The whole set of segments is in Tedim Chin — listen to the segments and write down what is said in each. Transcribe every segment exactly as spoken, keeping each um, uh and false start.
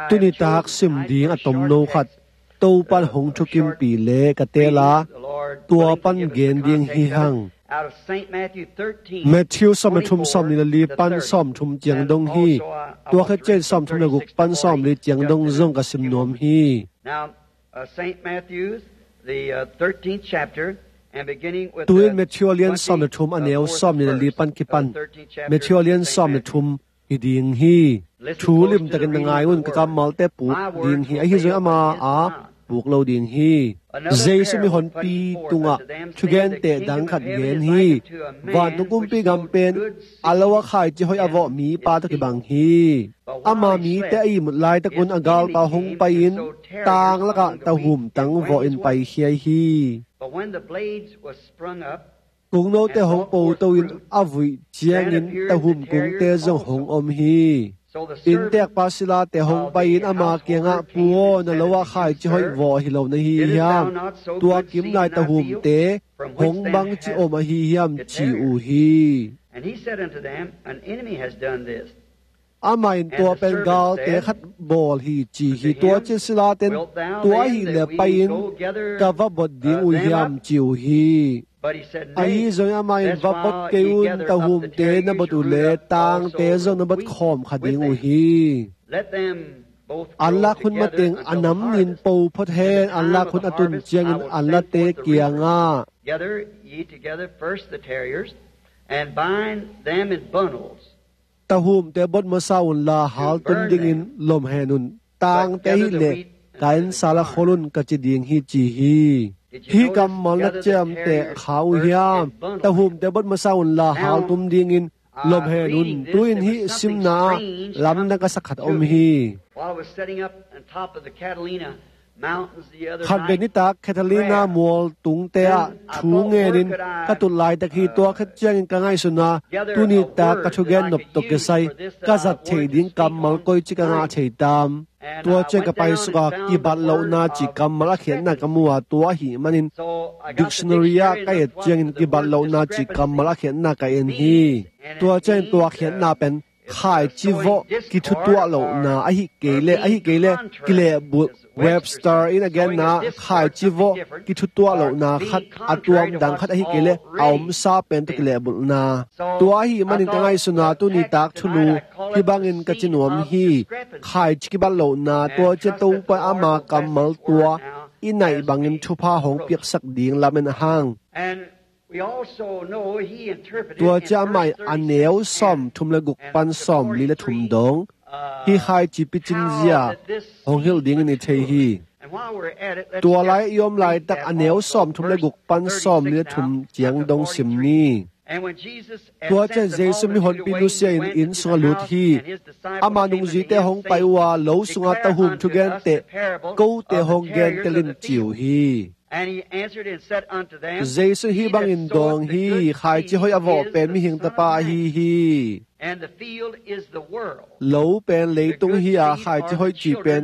Tuni tak sim ding a tomno khat Topan hong thukimpih le ka teel a, tua pan gen ding hi hang. Matthew sawm le thum, sawm nih le li pan sawm thum ciang dong hi. Tua khit ciang sawm thum le guk pan sawm li ciang dong zong ka sim nuam hi. Now, uh, Saint Matthew's, the, uh, thirteenth chapter, and beginning with, tu-in uh, Matthew a lian sawm le thum, a neu sawm nih le li pan kipan. Matthew a lian sawm le thum hi ding hi. Thu limtakin na ngai un, ka kammalte puk ding hi. Ahi zong ama a puk lo ding hi. Jesu mihonpi tungah thugente dang khat gen hi. Vantung kumpi gam pen a lo a khaici hoih a vawh mipa tawh kibang hi. Ama mite a ihmut laitakun a galpa hong pai-in tang lakah tahum tang vawhin paikhia hi. Kungnote hong poto-in a vuih ciangin tahum kungte zong hong om hi. Innteekpa silate hong pai-in ama kiangah, "Pu aw, na lo ah khaici hoih vawh hi lo na hi hiam? Tua kimlai tahumte hong bangci om ahi hiam?" ci uh hi. And he said unto them, "An enemy has done this." Amah in, "Tua pen galte khat bawl hi," ci hi. Tua ciang silate in, "Tua ahih leh pai-in ka va bot ding uh hiam?" ci uh hi. Ahi zongin amah in, "Va bot kei un, tahumte na bot uh leh tangte zong na bot khawm kha ding uh hi." Anlak hun mateng a nam nin po phot hen, anlak hun a tun ciangin anlate kiangah, "Gather ye together first the tares, and bind them in bundles." Tahumte bot masa unla, hal tun dingin lom hen un. Tangte ahih leh ka inn sal ah khol un, ka ci ding hi, ci hi. Hih kammal na ciamteh kha uh hiam? Tahumte bot masa unla, hal tum dingin lom hen un. Tu-in hih simna ah lamdang ka sak khat om hi. While I was setting up on top of the Catalina Mountains the other night, khatvei nitak Catalina mual tungte ah thu ngenin ka tut laitak hi. Tua khit ciangin ka ngaihsun a, tuni tak ka thugen nop tawh kisai ka zat theih ding kammal koici ka ngah thei tam? Tua ciang ka paisuk a, kibat lohna cih kammal a khiatna ka mu a, tua ahih manin dictionary ah ka et ciangin kibat lohna cih kammal a khiatna ka en hi. Tua ciangin tua khiatna pen khaici vawh kithutuah lohna ahih kei leh, ahih kei leh kilehbulh, Webster in a genna ah khaici vawh kithutuah lohna khat, a tuamdang khat ahih kei leh a omsa pen tawh kilehbulhna. Tua ahih manin ka ngaihsun a, tuni tak thulu hih bangin ka ci nuam hi. Khaici kibat lohna, tua ciang Topa ama kammal tua i naih bangin thupha hong piaksak ding lamen a hang. Tua ciang amah in a neu sawm thum le guk pan sawm li le thum dong hih khaici picin zia hong hilh dingin i thei hi. Tua lai i om laitak a neu sawm thum le guk pan sawm li le thum ciang dong sim ni. Tua ciang Jesu mihonpi nusia in inn sungah lut hi. Ama nungzuite hong pai uh a, lo sungah tahum thugenteh kote hong gentel in, ci uh hi. Jesu hih bangin dawng hi: Khaici hoih a vawh pen mihing tapa ahi hi. Lo pen leitung hi a, khaici hoih cih pen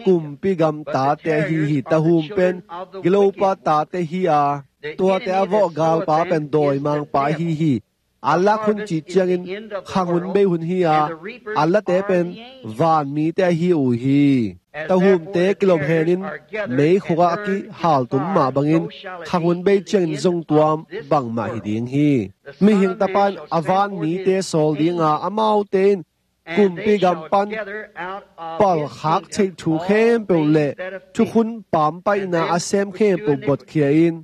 kumpi gam tate ahi hi. Tahum pen gilopa tate hi a, tuate a vawh galpa pen dawimangpa ahi hi. Anlak hun cih ciangin khanghun bei hun hi a, anlate pen vanmite ahi uh hi. Tahumte kilom henin meikhuk ah a kihaltum mah bangin khanghun bei ciangin zong tua bangmah hi ding hi. Mihing Tapa in a vanmite sawl ding a, amaute in kumpi gam pan palkhak theih thu khempeuh le thukhun pampaihna a sem khempeuh botkhia in,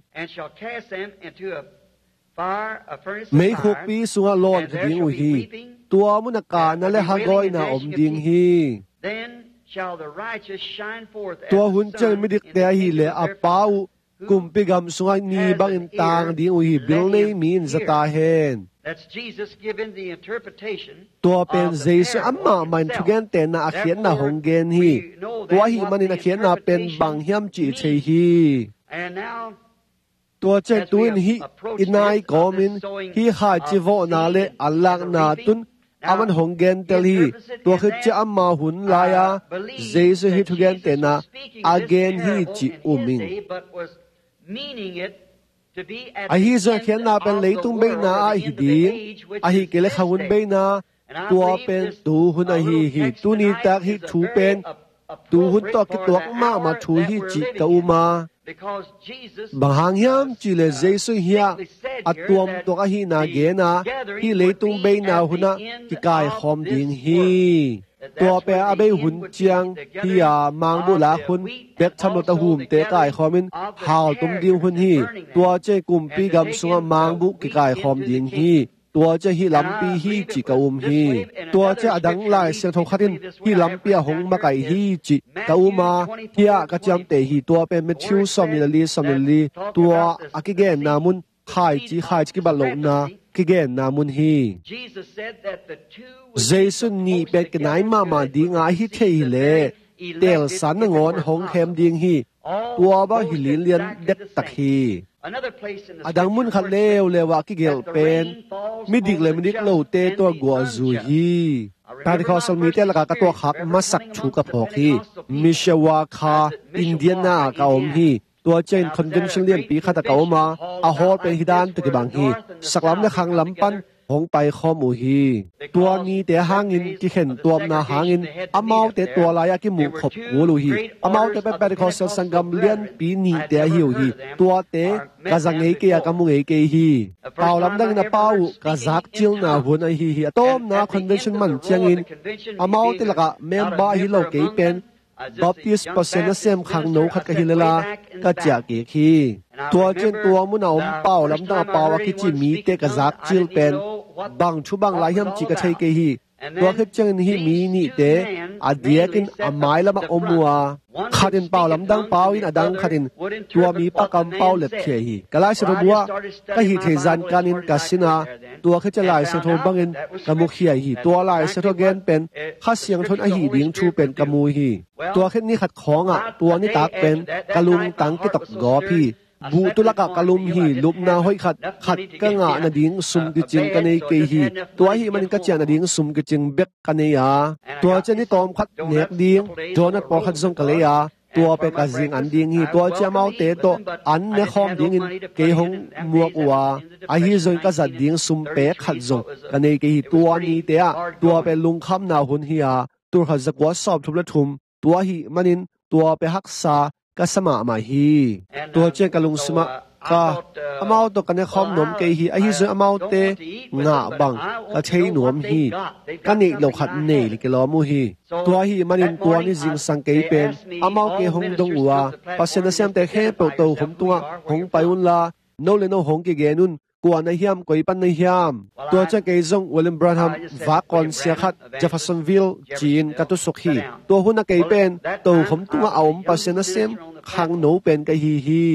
meikhukpi sungah lawnkhia ding uh hi. Tua munah kana le hagawina om ding hi. Tua hun ciang midikte ahih leh a Pa uh kumpi gam sungah ni bangin tang ding uh hi. Bil nei mi in za ta hen. Tua pen Jesu amah mah in thugentehna a khiatna hong gen hi. Tua ahih manin a khiatna pen bang hiam cih i thei hi. Tua ciang tu-in hih i nai kawmin hih khaici vawhna le anlakna tun a man hong gentel hi. Tua khit ciang ama hun lai-a Jesu hih thugentehna a gen hi cih um ing. Ahi zong a khiatna pen leitung beina ah hi ding, ahih kei leh khanghun beina, Tua pen tuhun ahi hi. Tuni tak hih thu pen tuhun tawh kituak mahmah thu hi cih ka um a. Bang hang hiam cih leh Jesu hiah a tuamtuak ahihna gen a, hih leitung beina hunah kikaikhawm ding hi. Tua pen a bei hun ciang hi a, mangbuh lak hun, bek tham lo ta humte kaikhawm in haltum ding hun hi. Tua ciang kumpi gam sungah mangbuh kikaikhawm ding hi. Tua ciang hih lampi hi cih ka um hi. Tua ciang a dang Lai Siangtho khat in hih lampi ah hong makaih hi cih ka um a, hiah ka ciamteh hi. Tua pen Matthew sawmnih le li, sawmnih le li, tua a kigenna mun, khaici, khaici kibat lohna kigenna mun hi. Jesu nih pen kinai mahmah ding a, ahi thei hileh telsa nangawn hong khem ding hi. Tua bang hi linlian dektak hi. A dang mun khat leuleu ah kigelh pen midik le midik lote tawh guahzu hi. Pentecostal mite lakah ka tuahkhak masak thu ka phawk hi. Mishawaka, Indiana ah ka om hi. Tua ciangin convention lianpi khat ah ka om a, a hall pen hih dan tawh kibang hi. Saklam le khanglam pan hong paikhawm uh hi. Tua nite hangin kikhen tuamna hangin amaute tua lai-ah kimuh khop kul uh hi. Amaute pen Pentecostal sanggam lianpi nihte ahi uh hi. Tuate ka za ngei kei a, ka mu ngei kei hi. Pau lamdangin a pau uh ka zakcilna hun ahi hi. A tawpna convention man ciangin amaute lakah member ahi lo kei pen Baptist Pasian nasem khangno khat ka hi lel a, ka ciah kik hi. Tua ciang tua mun a om pau lamdang a pau a kici mite ka zakcil pen bang thu bang lai hiam cih ka thei kei hi. Tua khit ciangin hih mi nihte a diakin a mailam ah om uh a, khat in pau lamdang pau in, a dang khat in tua mipa kampau lepkhia hi. Ka Lai Siangtho bu ah ka hih theih zankanin ka sin a, tua khit ciang Lai Siangtho bangin ka mukhia hi. Tua Lai Siangtho gen pen Kha Siangtho in a hih ding thu pen ka mu hi. Tua khit ni khat khawngah tua nitak pen ka lungtang kitok gawp hi. Buhtu lakah ka lum hi. Lupna hoih khat, khat ka ngah nading sum kicing ka nei kei hi. Tua ahih manin ka ciah nading sum kicing bek ka nei a, tua ciang ni tawm khat nek ding donut pawlkhat zong ka lei a, tua pen ka zing an ding hi. Tua ciang amaute tawh an ne khawm dingin kei hong muak uh a, ahi zongin ka zat ding sum pek khat zong ka nei kei hi. Tua nite ah tua pen lungkhamna hun hi a, tul khat za kua sawm thum le thum, tua ahih manin tua pen haksa ka sa mahmah hi. Tua ciang ka lungsim ah ka, amau tawh ka ne khawm nuam kei hi, ahi zongin amaute ngah bang ka thei nuam hi. Ka neih loh khat nei le kilawm uh hi. Tua ahih manin tua ni zingsang kei pen amau kei hong dong uh a, Pasian nasemte khempeuh tokhom tungah hong pai unla, no le no hong kigen un, kua na hiam, koi pan na hiam. Tua ciang kei zong William Branham vak kawnsia khat Jeffersonville ci-in ka tusuk hi. Tua hun a kei pen tokhom tungah a om Pasian nasem khangno pen ka hi hi.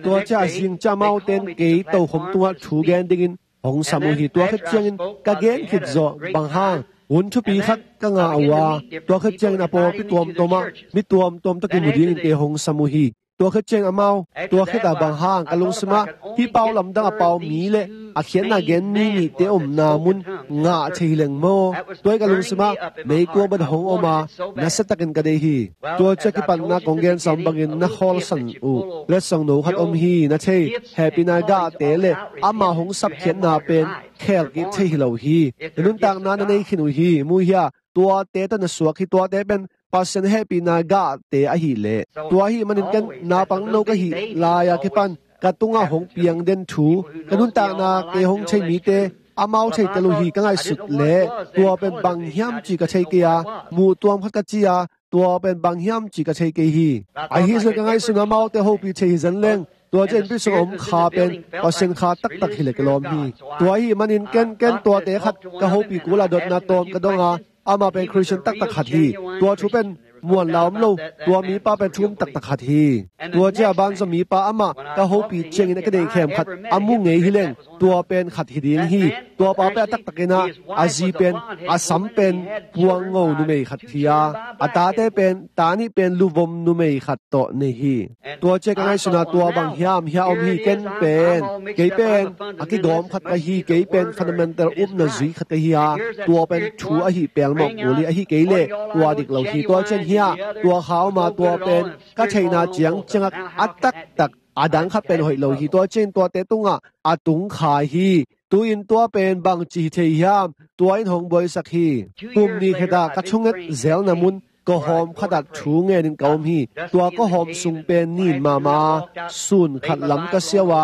Tua ciang a zing ciang amaute in kei tokhom tungah thu gen dingin hong sam uh hi. Tua khit ciangin ka gen khit zawh bang hang hun thupi khat ka ngah uh a, tua khit ciangin a pawlpi tuamtuam ah mi tuamtuam tawh kimu dingin kei hong sam uh hi. Tua khit ciang amau, tua khit ah bang hang ka lungsim ah hih pau lamdang a pau mi le a khiatna gen mi nihte omna mun ngah thei hi leng maw? Tua hi ka lungsim ah meikuang bang hong om a, nasiatakin ka deih hi. Tua ciang kipatna kong gen sam bangin na khawlsan uh letsong no khat om hi. Na thei, hehpihna gahte le ama hong sapkhiatna pen khelkik thei hi lo hi. Na nuntakna na nei khin uh hi. Mu hia, tuate tawh na suak hi. Tuate pen Pasian hehpihna gahte ahih leh. Tua ahih manin ken naupangno ka hih lai-a kipan ka tungah hong piang den thu, ka nuntakna kei hong thei mite amau theitel uh hi. Ka ngaihsut leh tua pen bang hiam cih ka thei kei a, muh tuam khat ka ci a, tua pen bang hiam cih ka thei kei hi. Ahi zong ka ngaihsun amaute hopih thei hi zen leng, tua ciang innpi sung a om kha pen Pasian kha taktak hi le kilawm hi. Tua ahih manin ken, ken tuate khat ka hopih kul a, dotna tawm ka dong a, amah pen Khristian taktak khat hi. Tua thu pen muan la om lo, tua mipa pen thu um taktak khat hi. Tua ciang a banzaw mipa amah ka hopih ciangin a ka deih khem khat a mu ngei hi leng, tua pen khat hi ding hi. Tua pa pen a taktakin ah a zi pen a sam pen puangno numei khat hi a, a tate pen, ta nih pen luvom numei khat tawh nei hi. Tua ciang ka ngaihsun a tua bang hiam, hia om hi. Ken pen, kei pen a kigawm khat ka hi. Kei pen fundamental upna zui khat ka hi a, tua pen thu ahi pelmawh kul hi. Ahi kei leh tua dik lo hi. Tua ciang hia, tua kha om a, tua pen ka theihna ciangciang ah a taktak a dang khat pen hoih lo hi. Tua ciang tuate tungah a tung kha hi. Tu-in tua pen bangci hi thei hiam? Tua in hong buaisak hi. Kum ni kheta ka thunget zelna mun kawhawm khatah thu ngenin ka om hi. Tua kawhawm sung pen nin mahmah a, sun khat lam ka siau a,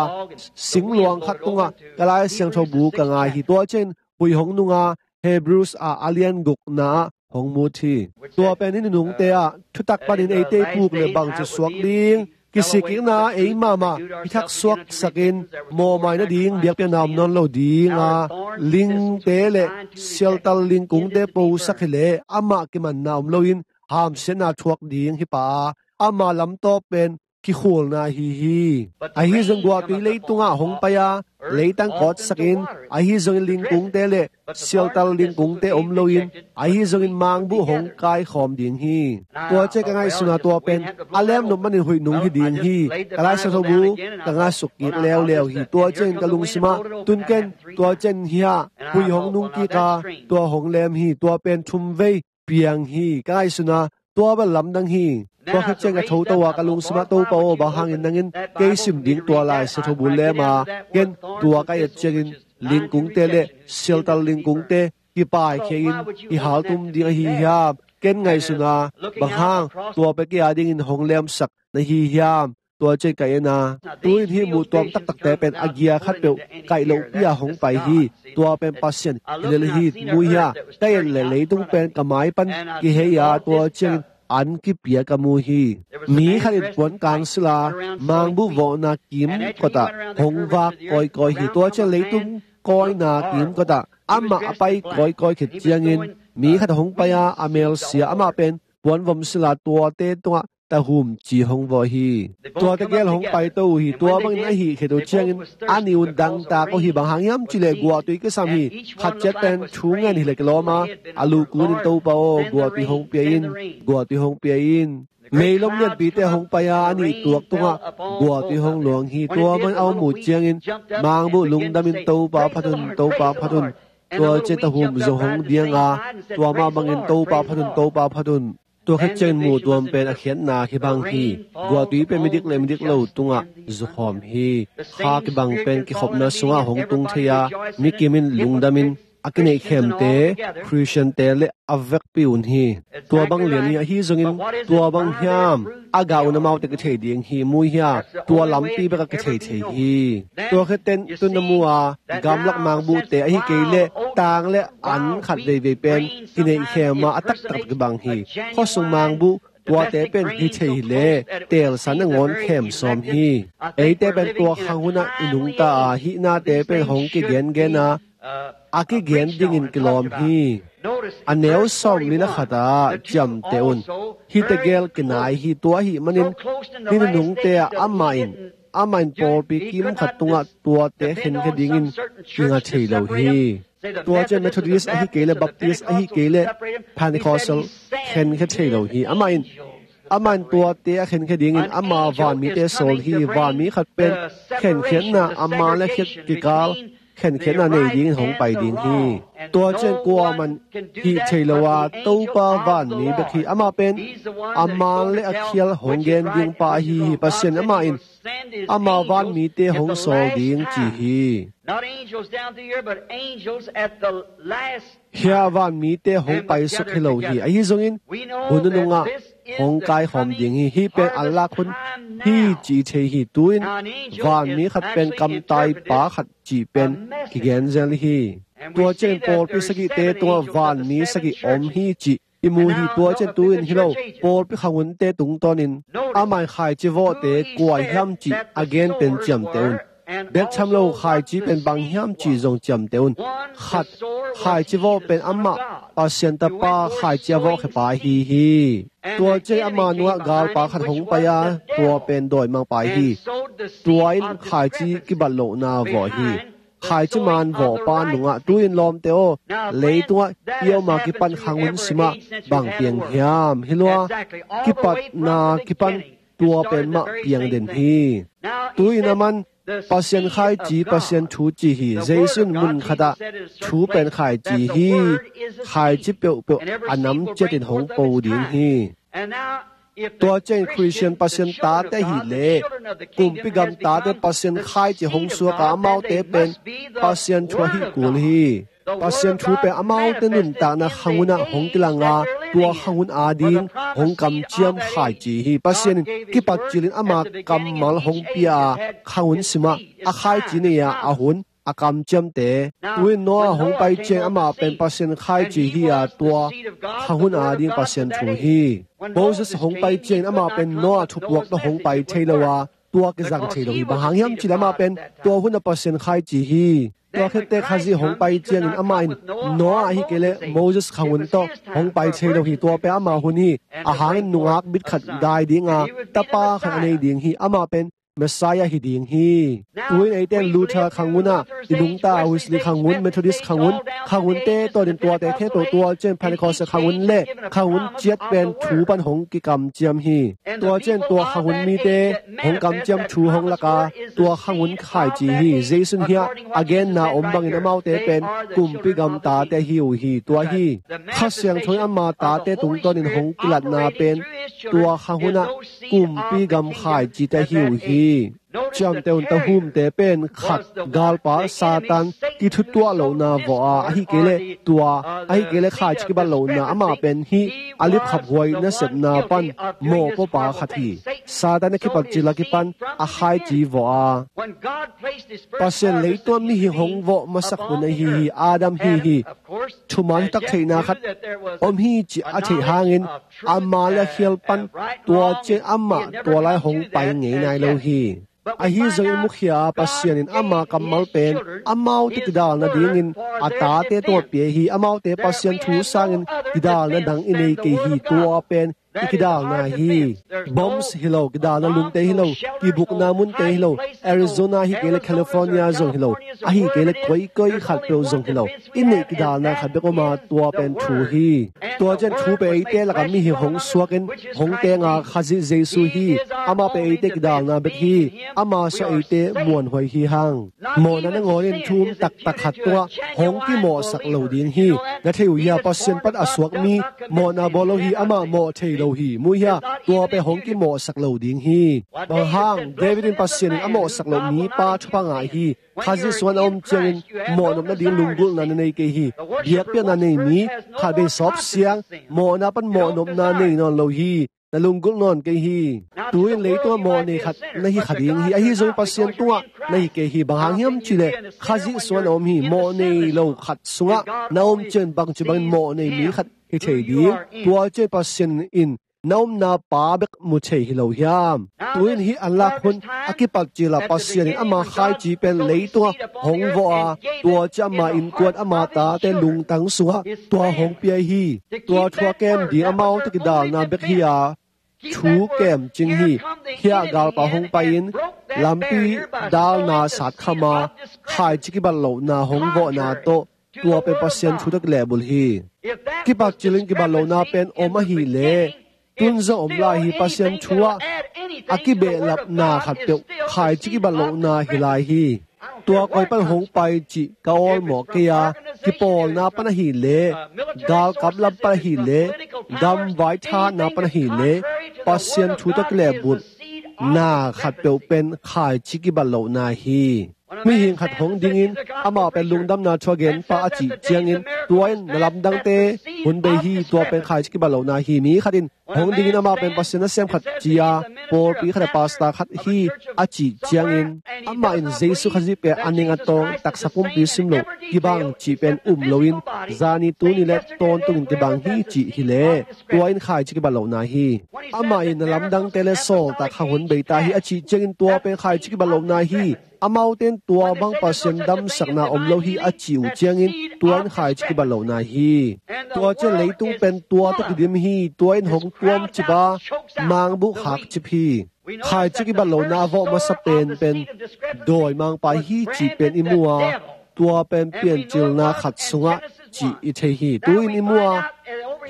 singluang khat tungah ka Lai Siangtho bu ka ngai hi. Tua ciangin hui hong nunga Hebrews a a lian gukna ah hong mut hi. Tua pen hih nunungte ah thutak panin eite i puk le bangci suak ding, kisikikna ei mahmah i thak suaksakin mawhmai nading biakpiakna om nawn lo dinga, lingte le sialtal lingkungte posak hileh amah kimanna om loin hamsiatna thuak ding hi pah a, ama lamtawp pen kikhulna ahi hi. Ahi zong guahtui leitungah hong pai a, leitang kawtsakin, ahi zongin lingkungte le sialtal lingkungte om loin, ahi zongin mangbuh hong kaikhawm ding hi. Tua ciang ka ngaihsuna tua pen a lemnop manin huih nung hi ding hi. Ka Lai Siangtho bu ka ngasuk kik leuleu hi. Tua ciangin ka lungsimah tun ken, tua ciang hiah hui hong nung kik a, tua hong lem hi. Tua pen thum vei piang hi. Ka ngaihsuna tua bel lamdang hi. Tua khit ciang ka thoto a, ka lungsimah, Topa aw, bang hangin nangin kei sim ding tua Lai Siangtho bu lem a, ken tua ka et ciangin lingkungte le sialtal lingkungte kipaikhia in i haltum ding ahi hiam? Ken ngaihsuna bang hang tua pen kei a dingin hong lemsak na hi hiam? Tua ciang ka en a, tu-in hih muhtuam taktakte pen a gia khatpeuh kaih lohpi-a hong pai hi. Tua pen Pasian kilel hi, mu hi a, ka et le leitung pen ka mai pan kihei a, tua ciangin an kipia ka mu hi. Mi khat in puan kang sila mangbuh vawhna kimkotah hong vak kawikawi hi. Tua ciang leitung kawina kimkotah amah a pai kawikawi khit ciangin mi khat hong pai a, a melsia amah pen puanvom sila tuate tungah tahum ci hong vawh hi. Tuate gel hong paito uh hi. Tua bangin a hih khit uh ciangin a nih un dangtak uh hi. Bang hang hiam cihleh guahtui kisam hi. Khat ciat pen thu ngen hileh kilawm a, a lukunin, Topa aw, guahtui hong pia in, guahtui hong pia in. Meilom lianpite hong pai a, a nih tuak tungah guahtui hong luang hi. Tua bangin a om uh ciangin mangbuh lungdamin, Topa phat un, Topa phat un. Tua ciang tahum zong hong diang a, tua mah bangin, Topa phat un, Topa phat un. Tua khit ciangin muhtuam pen a khiatna kibang hi. Guahtui pen midik le midik lo tungah zukhawm hi. Kha kibang pen kikhopna sungah hong tung thei a, mi kimin lungdamin a kineihkhemte, Khristiante le a vekpi un hi. Tua bang lian hi. Ahi zongin tua bang hiam? A gah un amaute kithei ding hi, mu hi a, tua lampi bek a kithei thei hi. Tua khit teh tun na mu a, gamlak mangbuhte ahi kei leh tang le an khat veivei pen kineihkhem a, a taktak kibang hi. Khuasung mangbuh tuate pen hi thei hileh teelsa nangawn khem sawm hi. Eite pen tua khang hunah i nungta a, hih nate pen hong kigengen a, a kigen dingin kilawm hi. A neu sawmli le khat ah ciamteh un. Hihte gel kinai hi. Tua ahih manin hih nunungte ah amah in, amah in pawlpi kim khat tungah tuate khenkhia dingin kinga thei lo hi. Tua ciang Methodist ahi kei leh, Baptist ahi kei leh, Pentecostal khenkhia thei lo hi. Amah in, amah in tuate a khenkhia dingin ama vanmite sawl hi. Vanmi khat pen khenkhiatna, ama le khat kikal khenkhiatna nei dingin hong pai ding hi. Tua ciang kuaman hih thei lo a, Topa vanmi bek hi. Amah pen a man le a khial hong gen ding pa ahi hi. Pasian amah in ama vanmite hong sawl ding ci hi. Not angels down through here, but angels at the last. Hih vanmite hong paisuk hi lo hi. Ahi zongin hun nunungah hong kaikhawm ding hi. Hih pen an lak hun hi ci thei hi. Tu-in vanmi khat pen kamtai pa khat cih pen kigen zel hi. Tua ciangin pawlpi sagihte tungah vanmi sagih om hi cih i mu hi. Tua ciang tu-in hi lo, pawlpi khanghunte tungtawnin amah in khaici vawhte kua hiam cih a gen pen ciamteh un. Bek tham lo, khaici pen bang hiam cih zong ciamteh un. Khat, khaici vawh pen amah Pasian Tapa khaici a vawhkhia pa ahi hi. Tua ciang ama nungah galpa khat hong pai a, tua pen dawimangpa hi. Tua in khaici kibat lohna vawh hi. Khaici man vawhpa nungah tu-in lawmte aw, leitungah i om a kipan khanghun simah bang piang hiam? Hi lua, kipatna kipan tua pen mah piang den hi. Tu-in a man Pasian khaici, Pasian thu ci hi. Jesu in mun khatah thu pen khaici hi. Khaici peuhpeuh a nam ciatin hong po ding hi. Tua ciang Khristian Pasian tate ahih leh kumpi gam tate Pasian khaici hong suak a, amaute pen Pasian thu ahih kul hi. Pasian thu pen amaute nuntakna khang hunah hong kilang a, tua khang hun ading hong kamciam khaici hi. Pasian in kipat cilin ama kammal hong pia a, khang hun simah a khaici nei a, a hun a kamciamte. Tu-in Noah hong pai ciang amah pen Pasian khaici hi a, tua khang hun ading Pasian thu hi. Moses hong pai ciangin amah pen Noah thupuak tawh hong pai thei lo a, tua kizang thei lo hi. Bang hang hiam cih leh amah pen tua hunah Pasian khaici hi. Tua khit teh Khazih hong pai ciangin amah in Noah ahih kei leh Moses khang hun tawh hong pai thei lo hi. Tua pen ama hun hi. A hangin nungak bit khat dai ding a, tapa khat a nei ding hi. Amah pen Messiah hi ding hi. Tu-in eite in Luther khang hun ah i nungta, Wesley khang hun, Methodist khang hun, khang hunte tawh ding tuate khempeuh, tua ciang Pentecost khang hun le khang hun ciat pen thu pan hong kikamciam hi. Tua ciang tua khang hun mite hong kamciam thu hong lak a, tua khang hun khaici hi. Jesu in hiah a genna om bangin amaute pen kumpi gam tate hi uh hi. Tua hi. Kha Siangtho in ama tate tungtawnin hong kilatna pen tua khang hunah kumpi gam khaicite hi uh hi. Ciamteh un, tahumte pen khat, galpa Satan kithutuah lohna vawh a, ahih kei leh tua, ahih kei leh khaici kibat lohna, amah pen hih a lipkhaphuai nasepna pan mawhpawpa khat hi. Satan a kipat cil a kipan a khaici vawh a, Pasian leitungah mihing hong vawh masak hun ahi hi. Adam hi hi. Thuman thutak theihna khat om hi cih a theih hangin ama le a khial pan tua ciang amah tua lai hong pai ngei nai lo hi. Ahi zongin mukhia a, Pasian in ama kammal pen amaute kidalna dingin a tate tawh pia hi. Amaute Pasian thu sangin kidalna dang i nei kei hi. Tua pen i kidalna hi. Bombs hi lo, kidalna lungte hi lo, kibukna munte hi lo, Arizona hi kei le California zong hi lo, ahih kei le koikoi khatpeuh zong hi lo, i neih kidalna khat bek om a, tua pen thu hi. Tua ciang thu pen eite lakah mihing hong suakin hong teng a, Khazih Jesu hi. Amah pen eite kidalna bek hi. Amah suah eite muanhuai hi hang. Mawhna nangawn in thu um taktak khat tungah hong kimawhsak lo ding hi. Na thei uh hia? Pasian pan a suak mi mawhna bawl lo hi. Amah mawh thei lo hi. Mu hia? Tua pen hong kimawhsak lo ding hi. Bang hang? David in Pasian in a mawhsak loh mipa thupha ngah hi. Khazih sungah na om ciangin mawhnop nading lunggulhna na nei kei hi. Biakpiakna nei mi, khatvei sawp siang, mawhna pan mawhnopna nei nawn lo hi. Na lunggulh nawn kei hi. Tu-in leitungah mawh nei khat na hi kha ding hi. Ahi zongin Pasian tungah na hi kei hi. Bang hang hiam cih leh Khazih sungah na om hi. Mawh nei lo khat sungah na om ciangin bangci bangin mawh nei mi khat hi thei ding. Tua ciang Pasian in na omna pa bek mu thei hi lo hiam? Tu-in hih anlak hun a kipat cil ah Pasian in ama khaici pen leitungah hong vawh a, tua ciang ama innkuan, ama tate lungtang sungah tua hong pia hi. Tua thu a kem ding amaute kidalna bek hi a, thu kem cing hi. Hiah galpa hong pai-in lampi dalna satkham a, khaici kibat lohna hong vawhna tawh, tua pen Pasian thu tawh kilehbulh hi. Kipat cilin kibat lohna pen om ahih leh, tun zong om lai hi. Pasian thu ah a kibehlapna khatpeuh khaici kibat lohna hi lai hi. Tua koi pan hong pai cih ka awlmawh kei a, kipawlna pan ahih leh, galkap lam pan ahih leh, gam vai thahatna pan ahih leh, Pasian thu tawh kilehbulhna khatpeuh pen khaici kibat lohna hi. Mihing khat hong dingin amah pen lungdamna thu a genpa a cih ciangin, tua in na lamdangte hun bei hi, tua pen khaici kibat lohna hi. Mi khat in hong dingin amah pen Pasian nasem khat ci a, pawlpi khat a pastor khat hi a cih ciangin, amah in Jesu Khazih pen a ning a tawng, taksa pumpi sim lo, kibang cih pen um loin, zani tuni le tawntungin kibang hi cih hi leh, tua in khaici kibat lohna hi. Amah in na lamdangte le sawltak khang hun bei ta hi a cih ciangin, tua pen khaici kibat lohna hi. Amaute in tua bang Pasian damsakna om lo hi a cih uh ciangin, tua in khaici kibat lohna hi. Tua ciang leitung pen tua tawh kidim hi. Tua in hong tuamcip a, mangbuh khakcip hi. Khaici kibat lohna a vawh masa penpen dawimangpa hi cih pen i mu a, tua pen Piancilna khat sungah cih i thei hi. Tu-in i mu a,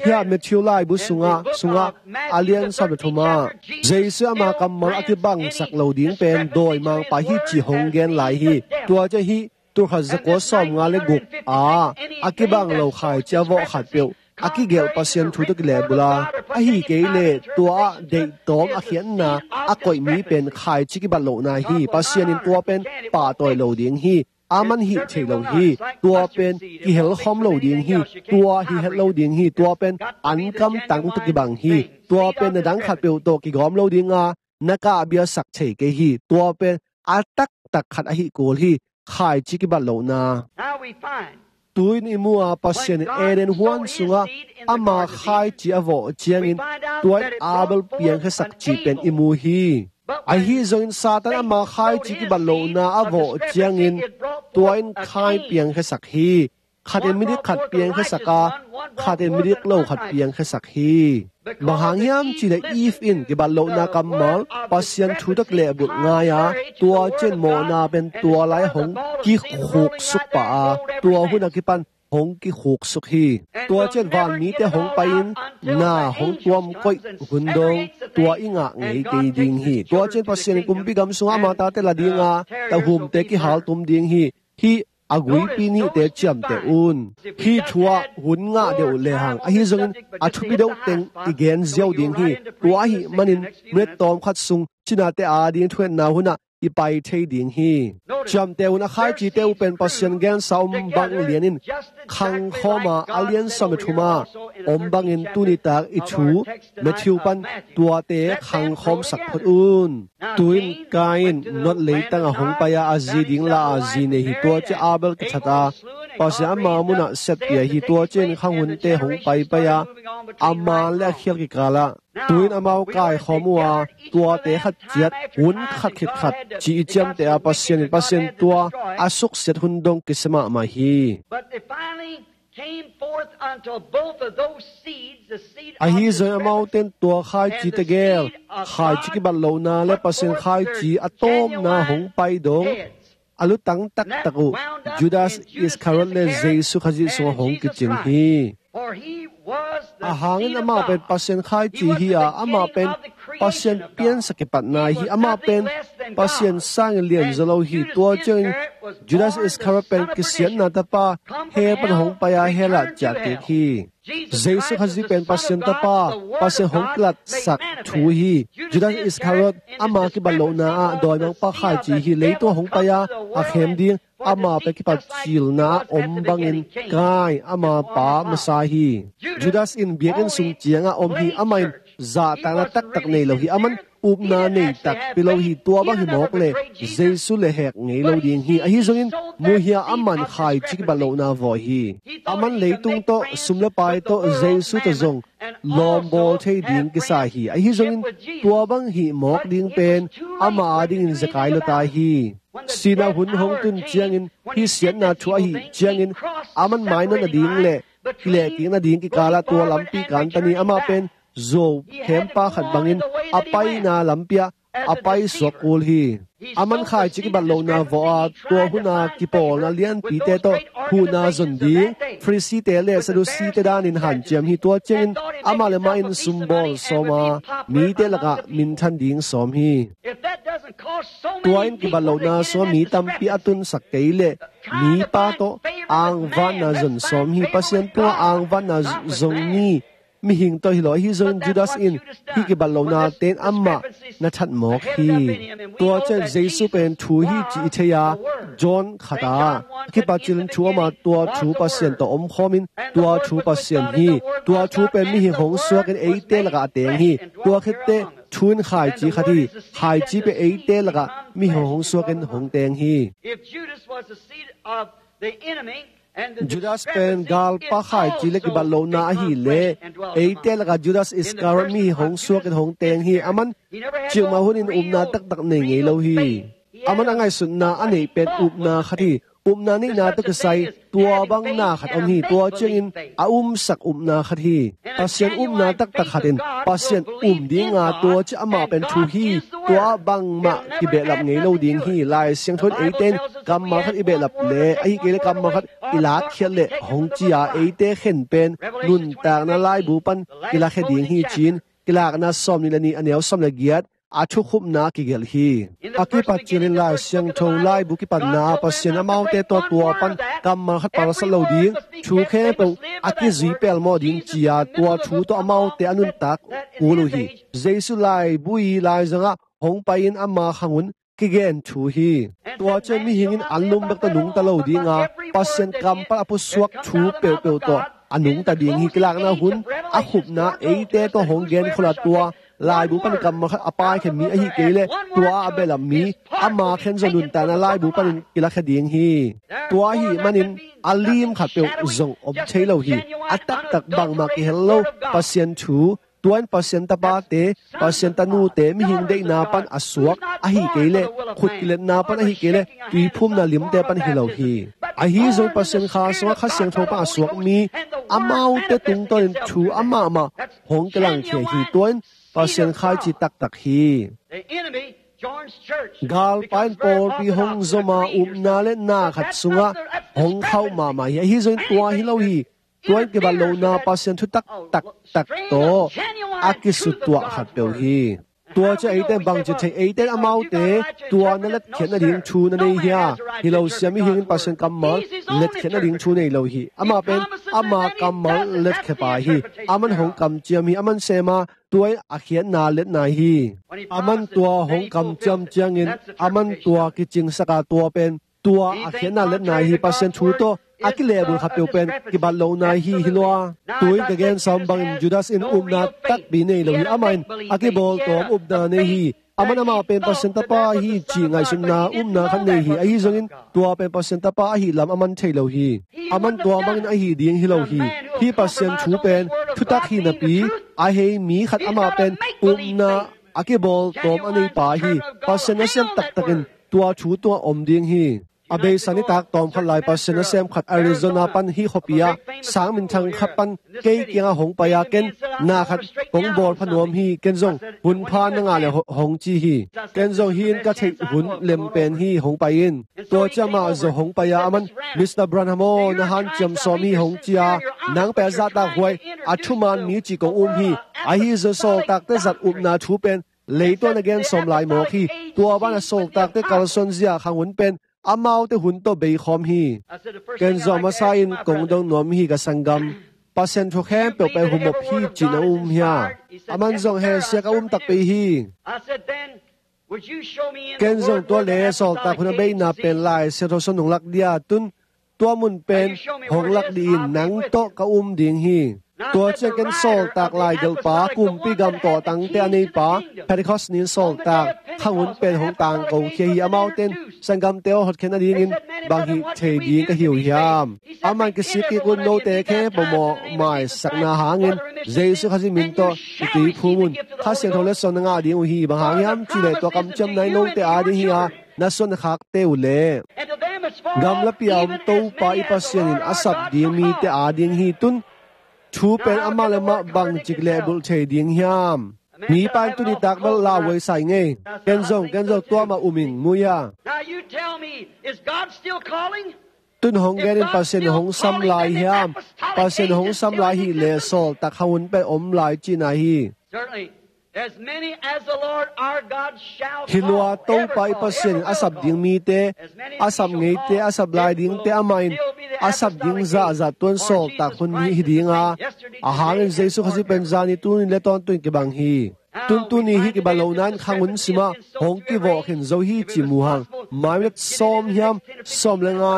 hiah Matthew laibu sungah, sungah a lian sawm le thum ah, Jesu ama kammal a kibangsak lo ding pen dawimangpa hi cih hong gen lai hi. Tua ciang hih tulkhat zakua sawmnga le guk ah a kibang lo khaici a vawh khatpeuh a kigelh Pasian thu tawh kilehbulh a, ahi kei leh tua ah deihtawm a khiatna a koih mi pen khaici kibat lohna hi. Pasian in tua pen pahtawi lo ding hi. Aman hih thei lo hi. Tua pen kihelkhawm lo ding hi. Tua hi het lo ding hi. Tua pen ankam tang tawh kibang hi. Tua pen na dang khatpeuh tawh kigawm lo ding a, na kahbia sak thei kei hi. Tua pen a taktak khat ahi kul hi. Khaici kibat lohna. Now we find tu-in i mu a, Pasian in Eden huan sungah ama khaici a vawh ciangin tua in Abel piangkhiasak cih pen i mu hi. Ahi zongin Satan ama khaici kibat lohna a vawh ciangin tua in Kain piangkhiasak hi. Khat in midik khat piangkhiasak a, khat in midik lo khat piangkhiasak hi. Bang hang hiam cih leh Eve in kibat lohna kammal Pasian thu tawh kilehbulh ngai a, tua ciang mawhna pen tua lai hong kikhuksuk pah a, tua hun a kipan hong kikhuksuk hi. Tua ciang van mite hong pai-in na hong tuam koih hun dong tua i ngah ngei kei ding hi. Tua ciang Pasian in kumpi gam sungah ama tate la ding a, tahumte kihaltum ding hi. Hih a guipi nihte ciamteh un. Hih thu ah hun ngah deuh uh lehang, ahi zongin a thupi deuh teng i gen ziau ding hi. Tua ahih manin minute tawmkhat sung cinate ading thuhilhna hun ah i pai thei ding hi. Ciamteh un, a khaicite uh pen Pasian gensa om bang lianin khangkhawm a, a lian sawm le thum a om bangin tuni tak i thu Matthew pan tuate khangkhawmsak phot un. Tu-in Kain Nod leitang ah hong pai a, a zi ding la a zi nei hi. Tua ciang Abel kithat a, Pasian ama munah siatpih hi. Tua ciangin khanghunte hong paipai a, a man le a khial kikal ah tu-in amau kaikhawm uh a, tuate khat ciat hun khat khit khat ci i ciamteh a, Pasian in, Pasian tua a suksiat hun dong kisia mahmah hi. But they finally came forth unto both of those seeds, the seed of the Ahi zong serpent amaute in tua khaici tegel, khaici kibat lohna le Pasian khaici a tawpna hong pai dong a lutang taktak uh Judas Iskariot le Jesu Khazih sungah hong kicing hi. A hangin amah pen Pasian khaici hi a, amah pen Pasian piansa kipatna hi. Amah pen Pasian sangin lianzaw lo hi. Tua ciangin Judas Iskariot pen kisiatna tapa hell pan hong pai a, hell ah ciahkik hi. Jesu Khazih pen Pasian tapa, Pasian hong kilatsak thu hi. Judas Iskariot ama kibat lohna ah dawimangpa khaici hi. Leitung hong pai a, a khem ding ama pen kipat cilna a om bangin Kain ama pa masa hi. Judas in biakinn sung ciangah om hi. Amah in zahtakna taktak nei lo hi. Aman upna nei takpi lo hi. Tua bang hi mawk le Jesu le hek ngei lo ding hi. Ahi zongin muhia aman khaici kibat lohna vawh hi. Aman leitung tawh, sum le pai tawh, Jesu tawh zong lawmbawl thei ding kisa hi. Ahi zongin tua bang hih mawk ding pen ama adingin zekai lua ta hi. Sihna hun hong tun ciangin, hih siatna thu ahih ciangin, aman mainawt nading le kilehkik nading kikalah tua lampi kantan hi. Amah pen zuau khempa khat bangin a paina lampi ah a paisuak kul hi. Aman khaici kibat lohna vawh a, tua hun a kipawlna lianpite tawh huhna zon ding Pharisee-te le Sadducee-te danin hanciam hi. Tua ciangin amah le amah in sumbawl sawm a, mite lakah minthan ding sawm hi. Tua in kibat lohna sungah mi tampi a tunsak kei leh mipa tawh angvanna zon sawm hi. Pasian tungah angvanna zong mi mihing tawh hi lo. Ahi zongin Judas in hih kibat lohnate in amah na that mawk hi. Tua ciang Jesu pen thu hi cih i thei a, John khat ah a kipat cilin thu om a, tua thu Pasian tawh omkhawm in, tua thu Pasian hi. Tua thu pen mihing hong suakin eite lakah a teng hi. Tua khit teh thu in khaici khat hi. Khaici pen eite lakah mihing hong suakin hong teng hi. If Judas was the seed of the enemy, Judas pen galpa khaici le kibat lohna ahih leh eite lakah Judas Iskariot mihing hong suakin hong teng hi. Aman cikmah hunin upna taktak nei ngei lo hi. Aman a ngaihsutna a neih pen upna khat hi. Upna neihna tawh kisai tua bang na khat om hi. Tua ciangin a umsak upna khat hi. Pasian upna taktak khat in Pasian um dinga, tua ciang amah pen thu hi. Tua ah bangmah kibehlap ngei lo ding hi. Lai Siangtho in eite in kammal khat i behlap leh, ahih kei leh kammal khat i lakkhiat leh hong ci a, eite khen pen nuntakna laibu pan kilakhia ding hi ci-in Kilakna sawmnih le nih, a neu sawm le giat, a thukhupna a kigelh hi. A kipat cilin Lai Siangtho laibu kipatna ah Pasian amaute tawh tua pan kammal khat palsat lo ding, thu khempeuh a kizui pelmawh ding ci-a tua thu tawh amaute a nuntak kul uh hi. Jesu laibu i laizangah hong pai-in ama khangun kigen thu hi. Tua ciang mihing in an lum bek tawh nungta lo dinga, Pasian kampal a pusuak thu peuhpeuh tawh a nungta ding hi. Kilakna hun a khupna eite tawh hong gen khol a, tua laibu panin kammal khat a paikhia mi ahih kei leh tua a behlap mi ama khen zong nuntakna laibu panin kilakhia ding hi. Tua ahih manin a lim khat peuh zong om thei lo hi. A taktak bangmah kihel lo Pasian thu, tua in Pasian tapate, Pasian tanute, mihing deihna pan a suak ahih kei leh, khut kiletna pan ahih kei leh, tuiphumna limte pan hi lo hi. Ahi zong Pasian Kha sungah Kha Siangtho pan a suak mi amaute tungtawnin thu amahmah hong kilangkhia hi. Tua in Pasian Kha i cih taktak hi. Galpa in pawlpi hong zom a, upna le na khat sungah hong khauh mahmah hi. Ahi zongin tua hi lo hi. Tua in kibat lohna Pasian thutak taktak tawh a kisutuah khat peuh hi. Tua ciang eite bangci thei, eite in amaute tua na letkhiat nading thu na nei hia? Hi lo, sia, mihing in Pasian kammal letkhiat nading thu nei lo hi. Amah pen ama kammal letkhiapa hi. Aman hong kamciam hi. Aman sem a, tua in a khiatna letna hi. Aman tua hong kamciam ciangin aman tua kicingsak a, tua pen tua a khiatna letna hi. Pasian thu tawh a kilehbulh khat peuh pen kibat lohna hi, hi lua. Tu-in ka gen sawm bangin Judas in upna takpi nei lo hi. Amah in a kibawltawm upna nei hi. Aman amah pen Pasian tapa hi cih ngaihsutna upna khat nei hi. Ahi zongin tua pen Pasian tapa ahih lam aman thei lo hi. Aman tua bangin ahi ding hi lo hi. Hih Pasian thu pen thutak hi napi, a hei mi khat amah pen upna a kibawltawm a neipa hi. Pasian nasem taktakin tua thu tungah om ding hi. A beisa nitak tawmkhat lai Pasian nasem khat Arizona pan hih khuapi ah sang minthang khat pan kei kiangah hong pai a, ken na khat kong bawl pha nuam hi, ken zong hun pha na ngah le ho-, hong ci hi. Ken zong hih in ka theih hun lem pen hi, hong pai in. Tua ciang amah zong hong pai a, aman, "Mister Branham aw, na hanciam sawm hi," hong ci a, "Nang pen a zahtak huai, a thuman mi cih kong um hi. Ahi zong sawltakte zat upna thu pen leitungah na gen sawm lai mawk hi. Tua banah sawltakte kalsuan zia khangun pen amaute hun tawh beikhawm hi." Ken zong a masa in kong dong nuam hi, ka sanggam. Pasian thu khempeuh pen humop hi cih na um hia? Aman zong, "He, sia, ka um takpi hi." Ken zong tua le sawltak hun a beina pen Lai Siangtho sung nong lak dia, tun tua mun pen hong lak dih in, nang tawh ka um ding hi. Tua ciang ken sawltak laigelhpa, kumpi gam tawhtangte a neipa, Pentecost ni-in sawltak khangun pen hong tangkokhia hi. Amaute in sanggamte aw hotkhiat nadingin bang hih thei ding ka hi uh hiam? Amah in, "Kisik kik un, note khempeuh mawhmaisakna hangin Jesu Khazih min tawh i tuiphum un. Kha Siangtho letsong na ngah ding uh hi. Bang hang hiam cih leh tua kamciamna in note ading hi a, na suan na khakte uh leh." Gamlapi a om Topa i Pasian in a sap ding mite ading hi. Tun thu pen amah le amah bangcik lehbulh thei ding hiam? Mipa in tuni tak bel lauhuai sa ing ei. Ken zong, ken zong tua mah um ing, mu hia? Now you tell me, is God still calling? Tun hong gen in, Pasian hong sam lai hiam? Pasian hong sam lai hi leh sawltak khangun pen om lai cihna hi. Certainly, as many as the Lord our God shall call. Hi lua, Topa i Pasian in a sap ding mite, a sap ngeite, a sap lai dingte amah in a sap ding zahzah tuan sawltak hun hi, hi ding a. A hangin Jesu Khazih pen zani, tuni le tawntung kibang hi. Tun tuni hih kibat lohna in khangun simah hong kivawh khin zo hi cih mu hang. Mai minute sawm hiam, sawm le nga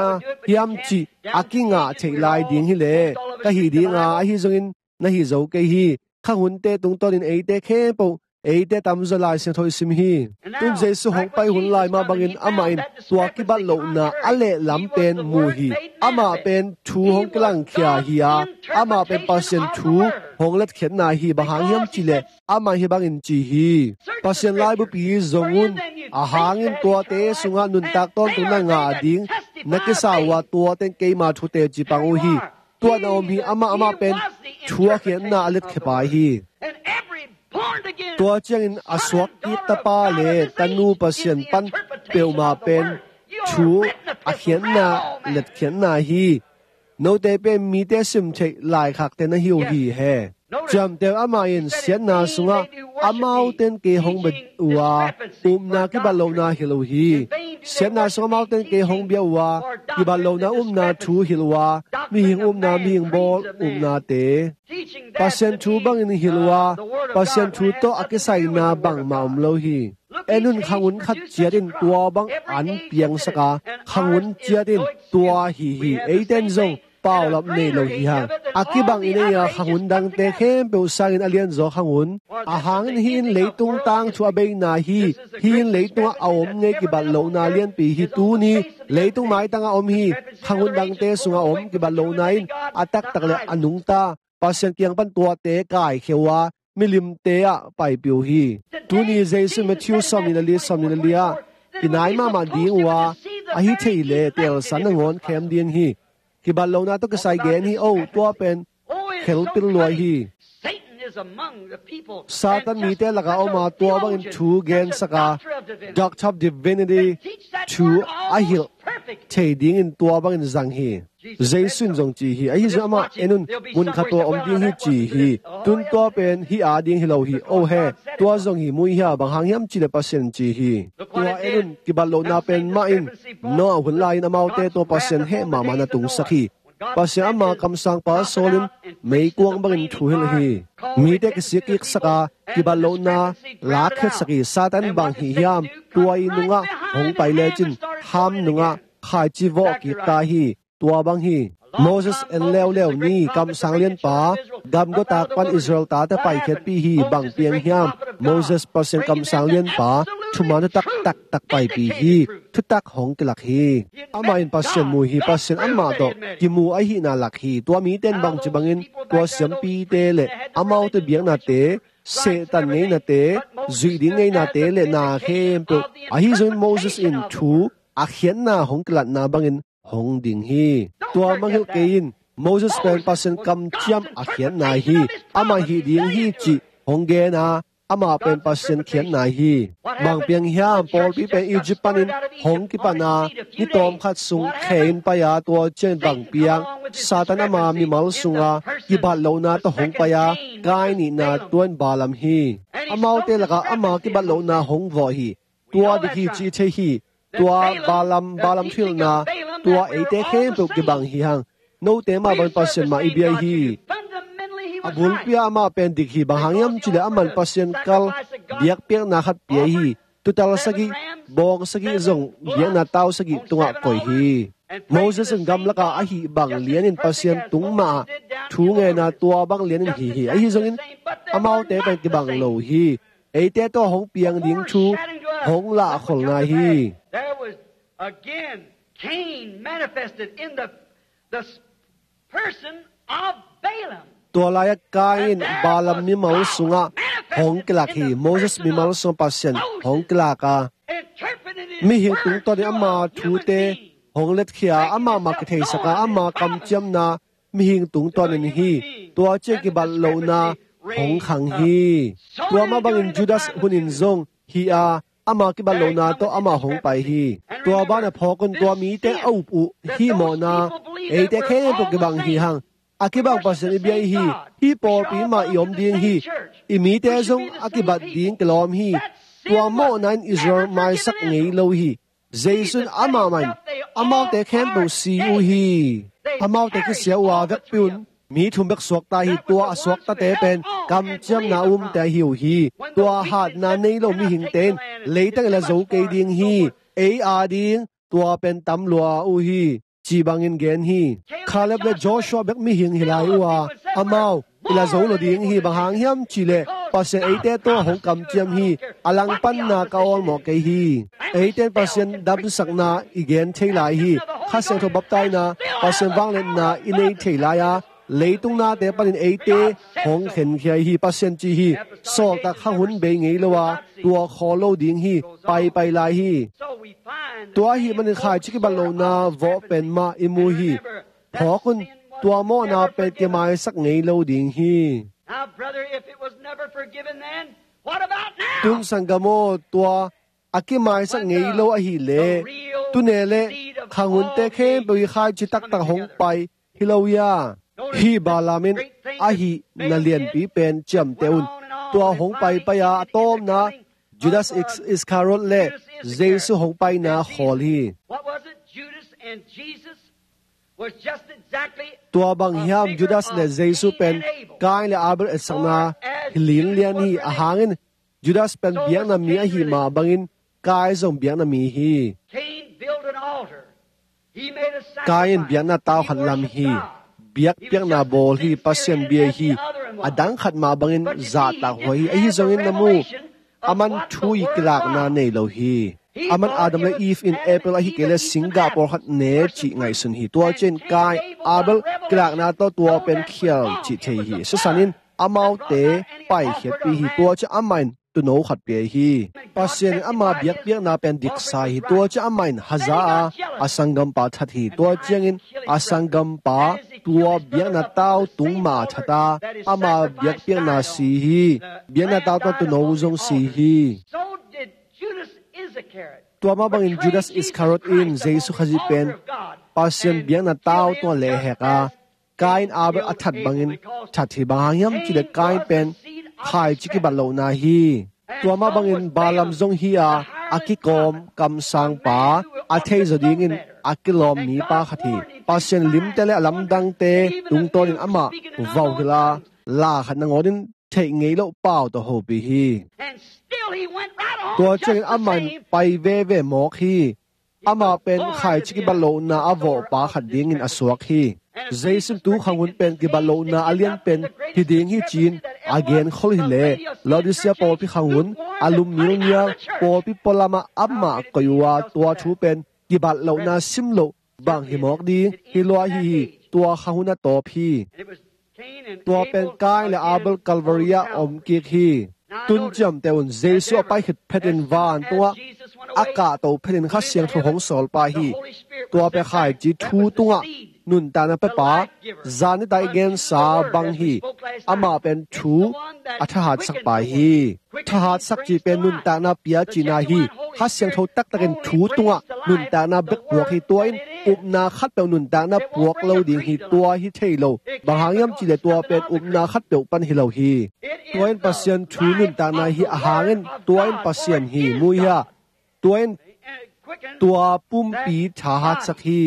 hiam cih a kingah theih lai ding hi leh, ka hih ding a, ahi zongin na hih zo kei hi. Khangunte tungtawnin eite khempeuh, eite tamzaw Lai Siangtho i sim hi. Tun Jesu hong pai hun lai mah bangin amah in tua kibat lohna a lehlam pen mu hi. Amah pen thu hong kilangkhia hi a, amah pen Pasian thu hong letkhiatna hi. Bang hang hiam cih leh amah in hih bangin ci hi: Pasian laibupi zong un, a hangin tuate sungah nuntak tawntung na ngah ding na kisa uh a, tuate in keima thu teci pang uh hi. Tua na om hi. Amah, amah pen thu a khiatna a letkhiapa hi. Tua ciangin a suak kik tapa le tanu Pasian pan peuhmah pen thu a khiatna, letkhiatna hi. Note pen mite sim theih laikhakte na hi uh hi, he. Ciamteh un, amah in siatna sungah Amaute in kei hong bia uh a, upna kibat lohna hilh uh hi. Siatna sung amaute in kei hong bia uh a, kibat lohna upna thu hilh uh a, mihing upna, mihing bawl upnate Pasian thu bangin hilh uh a, Pasian thu tawh a kisaina bangmah om lo hi. En un, khangun khat ciat in tua bang an piangsak a, khangun ciat in tua hi hi. Eite in zong paulap nei lo hi hang. A kibang i nei a, khangun dangte khempeuh sangin a lianzaw khangun. A hangin hih in leitung tangthu a beina hi. Hih in leitungah a om ngei kibat lohna lianpi hi. Tuni leitung maitangah om hi. Khangun dangte sungah om kibat lohna in a taktak le a nungta Pasian kiang pan tuate kaikhia uh a, milimte ah paipih uh hi. Tuni Jesu Matthew sawmnih le li, sawmnih le li ah kinai mahmah ding uh a, ahi thei le teelsa nangawn khem ding hi. Kibat lohna tawh kisai gen hi. O, tua pen khelpil lua hi. Satan mite lakah om a, tua bangin thu gensak a, Doctor of Divinity thu a hilh thei dingin tua bangin zang hi. Jesu in zong ci hi. Ahi zong amah en un, mun khat tua om ding hi ci hi. Tun tua pen hih a ding hi lo hi. O he, tua zong hi, mu hia, bang hang hiam cih leh Pasian ci hi. Tua en un, kibat lohna pen mah in Noah hun lai-in amaute tawh Pasian heh mahmah na tungsak hi. Pasian ama kamsangpa Saul in meikuang bangin thu hilh hi. Mite kisik kiksak a, kibat lohna lakkhiatsak hi. Satan bang hi hiam? Tua i nungah hong pai lecin Ham nungah khaici vawh kik ta hi. Tua bang hi. Moses en leuleu ni, kamsang lianpa, gamgawtak pan Israel tate paikhiatpih hi. Bang piang hiam? Moses Pasian kamsang lianpa, thuman thutak taktak paipih hi. Thutak hong kilak hi. Amah in Pasian mu hi. Pasian amah tawh kimu ahihna lak hi. Tua mite in bangci bangin tua siampite le amaute biaknate, Satan ngeinate, zuih ding ngeinate le na khempeuh, ahi zongin Moses in thu a khiatna hong kilatna bangin hong ding hi. Tua mangngilh kei in, Moses pen Pasian kamciam a khiatna hi. Amah hih ding hi cih hong gen a, amah pen Pasian khiatna hi. Bang piang hiam? Pawlpi pen Egypt panin hong kipan a, ni tawmkhat sung khe in pai a, tua ciangin bang piang? Satan ama mimal sunga kibat lohna tawh hong pai a, Kain nihna, tua in Balaam hi. Amaute lakah ama kibat lohna hong vawh hi. Tua dik hi cih thei hi. Tua Balaam, Balaam thuhilhna, tua eite khempeuh kibang hi hang. Note mah bangin Pasian mah i bia hi. A bulpi ah amah pen dik hi. Bang hang hiam cih leh aman Pasian kal biakpiakna khat pia hi. Tuutal sagih, bawng sagih zong biakna tau sagih tungah koih hi. Moses in gamlakah a hih bang lianin Pasian tung mah ah thu ngen a, tua bang lianin hih hi. Ahi zongin amaute pen kibang lo hi. Eite tawh hong piang ding thu hong lahkhol nai hi. There was again Cain manifested in the, the s-, person of Balaam. Tua lai-ah Kain in Balaam mimal sungah hong kilak hi. Moses mimal sungah Pasian hong kilak a, mihing tungtawnin ama thute hong letkhia a, amah mah kitheisak a, ama kamciamna mihing tungtawnin hi. Tua ciang kibat lohna hong khang hi. Tua mah bangin Judas hunin zong hi a, ama kibat lohna tawh amah hong pai hi. Tua banah phawk un, tua mite a up uh hih mawhna eite khempeuh kibang hi hang. A kibang Pasian i bia hi. Hih pawlpi mah i om ding hi. I mite zong a kibat ding kilawm hi. Tua mawhna in Israel maisak ngei lo hi. Jesu in amah mah in amaute khempeuh si uh hi. Amaute kisia uh a, vekpi un, mi thum bek suakta hi. Tua a suaktate pen kamciamna umte ahi uh hi. Tua hatna nei lo mihingte in leitang i la zo kei ding hi. Ei a ding tua pen tam lua uh hi, ci bangin gen hi. Caleb le Joshua bek mihing hi lai uh a, amau i la zo lo ding hi. Bang hang hiam cih leh Pasian eite tawh hong kamciam hi. A langpanna ka awlmawh kei hi. Eite in Pasian damsakna i gen thei lai hi. Kha Siangtho baptaina, Pasian vangliatna i nei thei lai a, leitung nate panin eite hong khenkhia hi. Pasian ci hi. Sawltak kha hun bei ngei lo a, tua khawl lo ding hi. Paipai lai hi. Tua ahih manin khaici kibat lohna vawh pen mah i mu hi. Phawk un, tua mawhna pen kimaisak ngei lo ding hi. Now, brother, if it was never forgiven then, what about now? Tun sanggam aw, tua a kimaisak ngei lo ahih leh, tune leh khanghunte khempeuh i khaici taktak hong pai hi lo hia? Hih Balaam in a hihna lianpi pen ciamteh un. Tua hong paipai a, a tawpna Judas Is- Iscariot le Jesu hong paina khawl hi. What was it? Judas and Jesus was just exactly Tua bang hiam, Judas le Jesu pen Kain le Abel etsakna hi linglian hi. A hangin Judas pen biakna mi ahi mah bangin Kain zong biakna mi hi. Cain built an altar. Kain in biakna tau khat lam hi. Biakpiakna bawl hi, Pasian bia hi. A dang khat mah bangin zahtak huai hi. Ahi zongin na mu, aman thu i kilakna nei lo hi. Aman Adam le Eve in apple ahi kei le singgah pawlkhat ne cih ngaihsun hi. Tua ciangin Kain, Abel kilakna tawh tua pen khial cih thei hi. Sisan in amaute paikhiatpih hi. Tua ciang amah in tuuno khat pia hi. Pasian in ama biakpiakna pen diksa hi. Tua ciang amah in haza a, a sanggampa that hi. Tua ciangin a sanggampa tua biakna tau tung mah a that a, ama biakpiakna si hi. Biakna tau tawh tuuno zong si hi. So did Judas Iscariot. Tua mah bangin Judas Iscariot in Jesu Khazih pen Pasian biakna tau tungah lehhek a, Kain Abel a that bangin that hi. Bang hang hiam cih leh Kain pen khaici kibat lohna hi. Tua mah bangin Balaam zong hi a, a kikawm kamsangpa, a theizaw dingin a kilawm mipa khat hi. Pasian limte le a lamdangte tungtawnin amah vauhilh a, la khat nangawnin theih ngei loh pau tawh hopih hi. And still he went right on. Tua ciangin amah in pai veve mawk hi. Amah pen khaici kibat lohna a vawhpa khat dingin a suak hi. Jesu in tu khanghun pen kibat lohna a lianpen hi ding hi ci-in a genkhol hi leh, Laodicea pawlpi khanghun a lum nilnial, pawlpi pualamah amah koih uh a, tua thu pen kibat lohna sim loh bang hi mawk ding hi lua hi hi. Tua khanghun a tawp hi. Tua pen Kain le Abel Calvary ah om kik hi. Tun ciamteh un, Jesu a pai khit phetin van tungah a kahto phetin Kha Siangtho hong sawl pah hi. Tua pen khaici thu tungah nuntakna pepa, zan nitak i gensa bang hi. Amah pen thu a thahatsak pa hi. Thahatsak cih pen nuntakna pia cihna hi. Kha Siangtho taktakin thu tungah nuntakna bek puak hi. Tua in upna khatpeuh nuntakna puak lo ding hi. Tua hi thei lo. Bang hang hiam cih leh tua pen upna khatpeuh pan hi lo hi. Tua in Pasian thu nuntakna hi. A hangin tua in Pasian hi. Mu hia? Tua in tua pumpi thahatsak hi.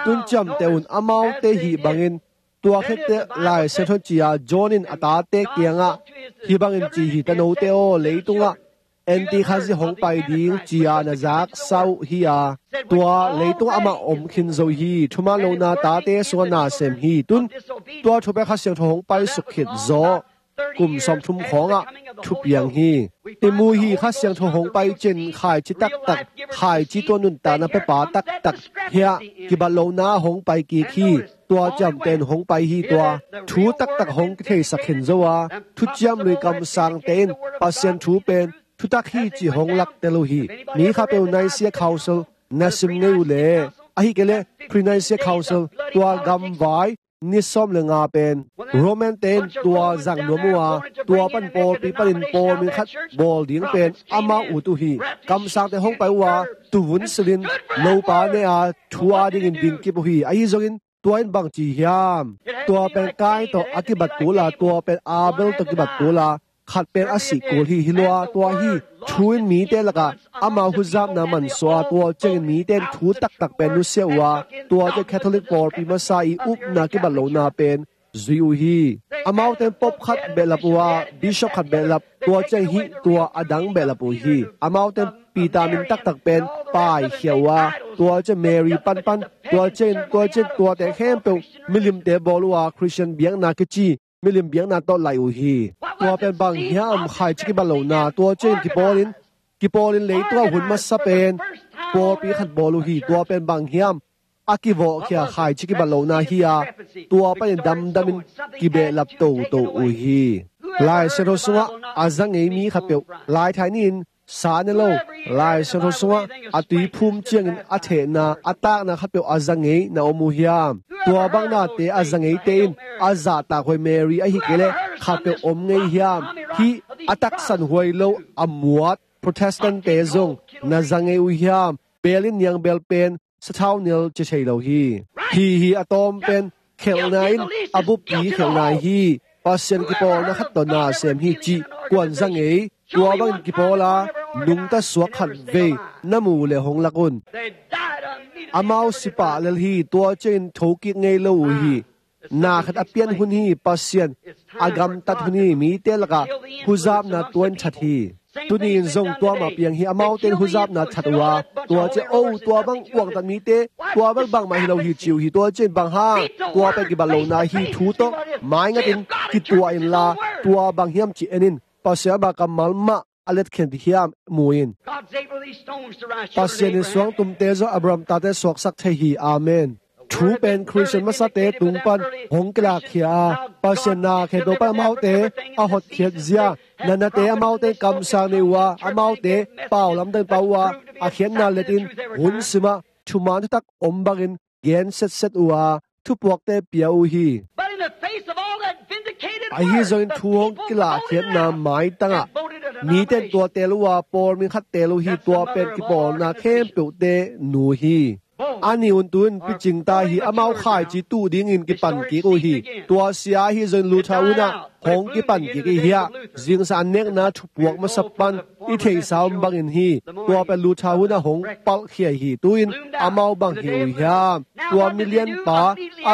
Tun ciamteh un, amaute hih bangin tua khit teh Lai Siangtho ci-a John in a tate kiangah hih bangin ci hi: Tanote aw, leitungah Antikhazih hong pai ding ci-a na zaksa uh hi a, tua leitungah amah om khin zo hi. Thuman lohna tate sungah na sem hi. Tun tua thu pen Kha Siangtho hong paisuk khit zaw kum sawmthum khawngah thupiang hi. I mu hi, Kha Siangtho hong pai ciangin khaici taktak, khaici tua nuntakna pepa taktak hiah kibat lohna hong pai kik hi. Tua ciamteh in hong pai hi. Tua thu taktak hong kitheisak khin zo a, thuciam lui kamsangte in Pasian thu pen thutak hi cih hong laktel uh hi. Mi khapeuh Nicaea Council na sim ngei uh leh, ahi kei leh Pre-Nicaea Council, tua gamvai ni sawm le nga pen Roman te in tua zang nuam uh a, tua pan pawlpi panin pawl min khat bawl ding pen amau ut uh hi. Kamsangte hong pai uh a, tuvun silhin lopa ne-a thu adingin dingkip uh hi. Ahi zongin tua in bangci hiam? Tua pen Kain tawh a kibat kul a, tua pen Abel tawh kibat kul a, khat pen a sih kul hi. Hi lua, tua hi thu in mite lakah amau huzapna mansuah a, tua ciangin mite in thu taktak pen nusia uh a, tua ciang Catholic pawlpi masa i upna kibat lohna pen zui uh hi. Amaute in pope khat behlap uh a, bishop khat behlap, tua ciang hih tua a dang behlap uh hi. Amaute in Peter min taktak pen paikhia uh a, tua ciang Mary panpan, tua ciang, tua ciang tuate khempeuh milimte bawl uh a, Khristian biakna kici milim biakna tawh laih uh hi. Tua pen bang hiam? Khaici kibat lohna. Tua ciangin kipawlin, kipawlin leitungah hun masa pen pawlpi khat bawl uh hi. Tua pen bang hiam? A kivawhkhia khaici kibat lohna hi a, tua panin damdamin kibehlap toto uh hi. Lai Siangtho sungah a za ngei mi khatpeuh, laithai ni-in sa ne lo, Lai Siangtho sungah a tuiphum ciangin a thehna, a takna khatpeuh a za ngei na om uh hiam? Tua bang nate a za ngeite in a zahtakhuai Mary ahi kei leh khatpeuh om ngei hiam? Hih a taksanhuai lo a muat Protestant-te zong na za ngei uh hiam? Bel in niangbel pen sathau nel ci thei lo hi. Hih hi a tawm pen khelhna in a buppi khelhna hi. Pasian kipawlna khat tawh na sem hi cih kuan za ngei, tua bangin kipawl a, nungta suak khat vei na mu uh leh hong lak un. Amau si pah lel hi, tua ciangin thokik ngei lo uh hi. Na khat a pian hun hi, Pasian a gamtat hun hi, mite lakah huzapna tua in that hi. Tuni in zong tua mah piang hi, amaute in huzapna that uh a, tua ciang, "O, tua bang uangtat mite, tua bang bangmah hi lo hi," ci uh hi. Tua ciang, "Bang hang?" "Tua pen kibat lohna hi, thu tawh maingatin kituah inla, tua bang hiam cih en in, Pasian ama kammal mah a letkhiat hiam mu in." God's able these stones to rise children of Pasian in Abraham. Suangtumte zong Abraham tate suaksak thei hi. Amen. Thu pen Khristian masate tung pan hong kilakkhia a, Pasian na khempeuh pan amaute a hotkhiat zia, na nate amaute kamsang nei uh a, amaute pau lamdang pau uh a, a khiatna letin hun simah thuman thutak om bangin gen setset uh a, thupuakte pia uh hi. But in the face of all that vindicated word, ahi zongin thu hong kilakhiatna maitangah mite in tua teel uh a, Paul min khat teel uh hi, tua pen kipawlna khempeuhte nu hi. A nih un tu in picing ta hi, amau khaici tuh dingin kipan kik uh hi. Tua sia ahi zongin Luther hun ah hong kipan kik i hi a, zingsang an nekna thupuak masa pan i theihsa om bangin hi. Tua pen Luther hun ah hong palhkhia hi. Tu in amau bang hi uh hiam? Tua milianpa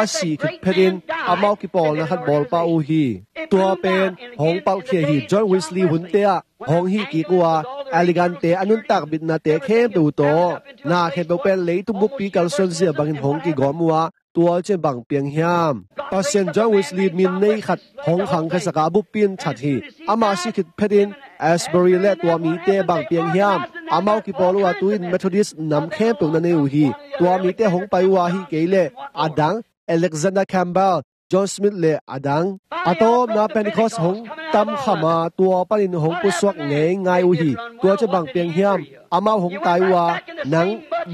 a sih khit phetin amau kipawlna khat bawlpa uh hi. Tua pen hong palhkhia hi. John Wesley hunte ah hong hih kik uh a, Anglican-te a nuntak bitnate khempeuh tawh, na khempeuh pen leitung buppi kalsuan zia bangin hong kigawm uh a, tua ciang bang piang hiam? Pasian John Wesley min nei khat hong khangkhiasak a, a buppi in that hi. Ama si khit phetin Asbury le tua mite bang piang hiam? Amau kipawl uh a, tu in Methodist nam khempeuh na nei uh hi. Tua mite hong pai uh a, hi kei leh a dang, Alexander Campbell, John Smith le a dang. A tawpna Pentecost hong tam kham a, tua panin hong pusuak ngeingai uh hi. Tua ciang bang piang hiam? Amau hong tai uh a, nang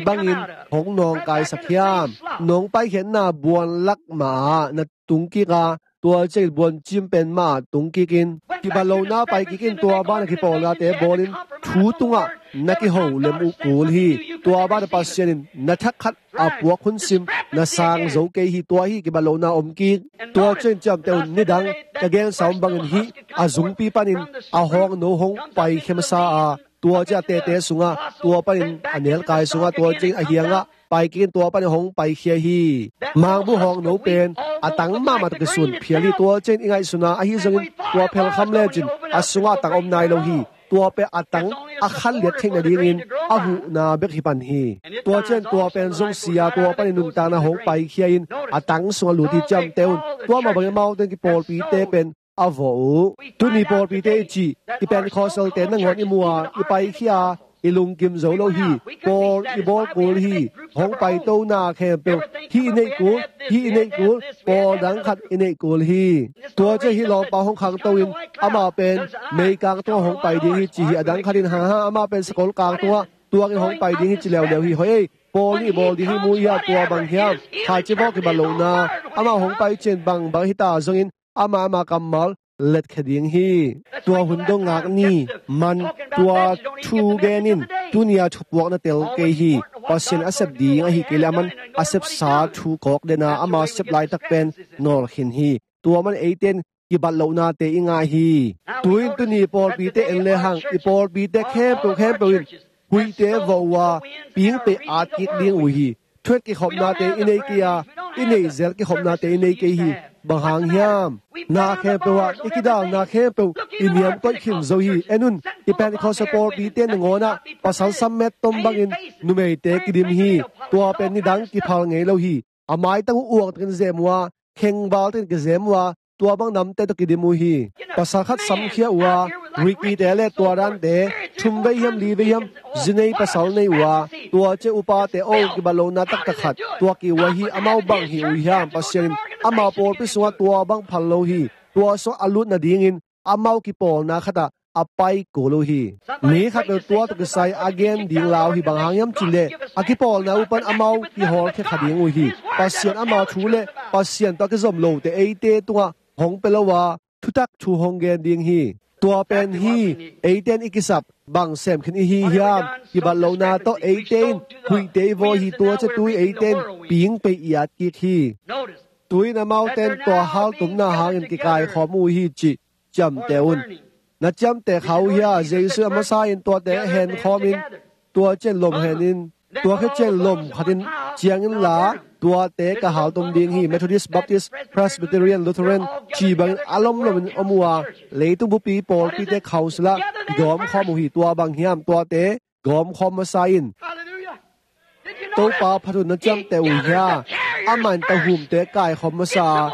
bangin hong nawngkaisak hiam? Nong paikhiatna buan lak mah ah na tung kik a, tua ciangin buancim pen mah ah tung kik in, kibat lohna pai kik in, tua banah kipawlnate bawlin thu tungah na kiho lem uh kul hi. Tua banah Pasian in na thak khat a puak hun sim na sang zo kei hi. Tua hi kibat lohna om kik. Tua ciangin ciamteh un, nidang ka gensa om bangin hih a zungpi panin a hawngno hong paikhia masa a, tua ciang a tete sungah, tua panin a nelkai sungah, tua ciangin a hiangah pai kik in, tua panin hong paikhia hi. Mangbuh hawngno pen a tang mahmah tawh kisun phial hi. Tua ciangin i ngaihsun a, ahi zongin tua phelkham lecin a sungah a tang om nai lo hi. Tua pen a tang a khanliat theih nadingin a huhna bek hi pan hi. Tua ciang tua pen zong si a, tua panin nuntakna hong paikhia in a tang sungah lut hi. Ciamteh un, tua mah bangin amaute in kipawlpite pen a vawh uh. Tuni pawlpite i cih, i Pentecostal-te nangawn i mu a, i paikhia a, i lungkim zo lo hi. Pawl i bawl kul hi. Hong paito na khempeuh hih i neih kul, hih i neih kul, pawl dang khat i neih kul hi. Tua ciang hih lawmpa hong khangto in, amah pen meikang tungah hong pai ding hi ci hi. A dang khat in, hang hang, amah pen sakol kang tungah tuakin hong pai ding hi ci leuleu hi. Hoih ei, pawl nih bawl ding hi, mu ia, tua bang hiam? Khaici bawh kibat lohna. Amah hong pai ciang bangbang hita zongin amah, amah kammal letkhia ding hi. Tua hun dong ngak ni man, tua thu gen in, tuni a thupuak na tel kei hi. Pasian a sep ding ahi kei leh aman a sepsa thu kawk den a, ama sep laitak pen nawlkhin hi. Tua man eite in kibat lohnate i ngah hi. Tu-in tuni pawlpite en lehang, i pawlpite khempeuh khempeuh in huihte vawh uh a, pingpei at kik ding uh hi. Thuat kikhopnate i nei kei a, i neih zel kikhopnate i nei kei hi. Bang hang hiam? Na khempeuh ah i kidalna khempeuh i niam koih khin zo hi. En un, i Pentecost pawlpite nangawn ah pasal sammet tom bangin numeite kidim hi. Tua pen nidang kiphal ngei lo hi. A maitang uh uangtakin zem uh a, khengval takin kizem uh a, tua bang namte tawh kidim uh hi. Pasal khat samkhia uh a, Ricky-te le tua dante thum vei hiam, li vei hiam, zi nei pasal nei uh a, tua ciang upate, o, kibat lohna taktak khat tuak kik uh ahi, amau bang hi uh hiam? Pasian in ama pawlpi sungah tua bang phal lo hi. Tua sungah a lut nadingin amau kipawlna khatah a pai kul uh hi. Mi khatpeuh tua tawh kisai a gen ding lau hi. Bang hang hiam cih leh a kipawlna uh pan amau kihawlkhia kha ding uh hi. Pasian ama thu le Pasian tawh a kizom lote eite tungah hong pia lo a, thutak thu hong gen ding hi. Tua pen hi, eite in i kisap bang sem khin i hi hiam? Kibat lohna tawh eite in huihte i vawh hi. Tua ciang tu-in eite in pingpei i at kik hi. Tu-in amaute in tua haltumna hangin kikaikhawm uh hi cih ciamteh un. Na ciamteh kha uh hia? Jesu a masa in tuate hen khawm in, tua ciang lom hen in, tua khit ciang lom khat in ciang inla, tuate ka haltum ding hi. Methodist, Baptist, Presbyterian, Lutheran, ci bangin a lomlom in om uh a, leitung bupi pawlpite council ah kigawm khawm uh hi. Tua bang hiam? Tuate gawm khawm masa in. Hallelujah. Did you know Topa that? Phat uh na ciamteh uh hia? Amah in tahumte kaikhawm masa a,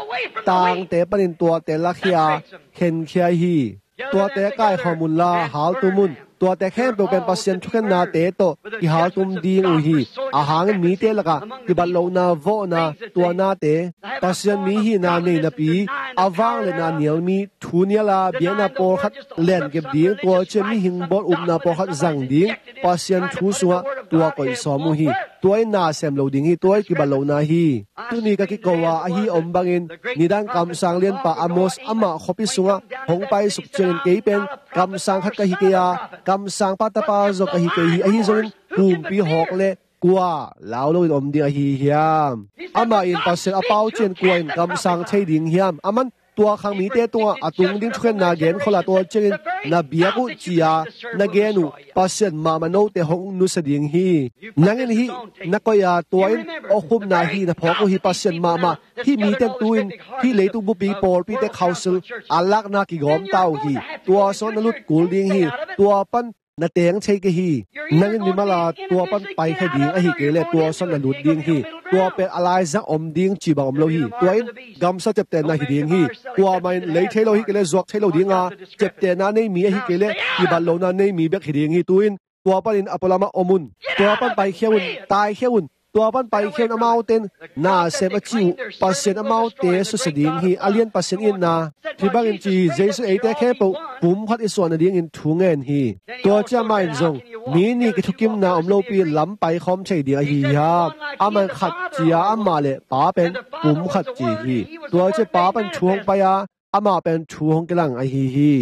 tangte panin tuate lakhia, khenkhia hi. Tuate kaikhawm unla haltum un. Tuate khempeuh pen Pasian thukhennate tawh kihaltum ding uh hi. Ahang in mite lakah kibatlohna, vawhna, tuanate, Pasian mi hihna nei napi, a vangliatna nial mi, thu niala biakna pawlkhat lenkep ding, tua ciang mihing bawl upna pawlkhat zang ding, Pasian thu sungah tua koih sawm uh hi. Tua in na sem lo ding hi, tua in kibat lohna hi. Tuni ka kiko a ahi om bangin, nidang kamsang lianpa Amos amah khuapi sungah hong paisuk ciangin kei pen kamsang khat ka hi kei a, kamsangpa tapa zong ka hi kei hi, ahi zongin pumpi hawk le kua lau loin om ding ahi hiam? Amah in Pasian a pau ciang kua in kamsang thei ding hiam? Aman tua khang mite tungah a tung ding thukhenna gen khol a, tua ciangin na biak uh ci-a na gen uh Pasian mahmah note hong nusia ding hi. Nang in hih na koih a, tua in awkhupna hih na phawk uh hi. Pasian mahmah, hih mite in tu-in hih leitung bupi pawlpite council a lakna kigawm ta uh hi. Tua sungah na lut kul ding hi. Tua pan na teng thei kei hi. Nang in mimal a tua pan paikhia ding ahi kei leh tua sungah na lut ding hi. Tua pen a laizang om ding cih bang om lo hi. Tua in gamsa ciaptehna hi ding hi. Kuamah in lei thei lo hi kei leh, zuak thei lo ding a, ciaptehna nei mi ahi kei leh, kibat lohna nei mi bek hi ding hi. Tu-in tua panin a pualamah om un. Tua pan paikhia un, taikhia un. Tua pan paikhia un, amaute in na sem a ci uh Pasian amaute susia ding hi. A lian Pasian itna. Hih bangin ci hi, Jesu eite khempeuh pum khat i suah nadingin thu ngen hi. Tua ciang amah in zong, mi nih kithukimna om lopi lam paikhawm thei ding ahi hiam? Amah in khat ci-a, amah le Pa pen pum khat ci hi. Tua ciang Pa pan thu hong pai a, amah pen thu hong kilang ahi hi.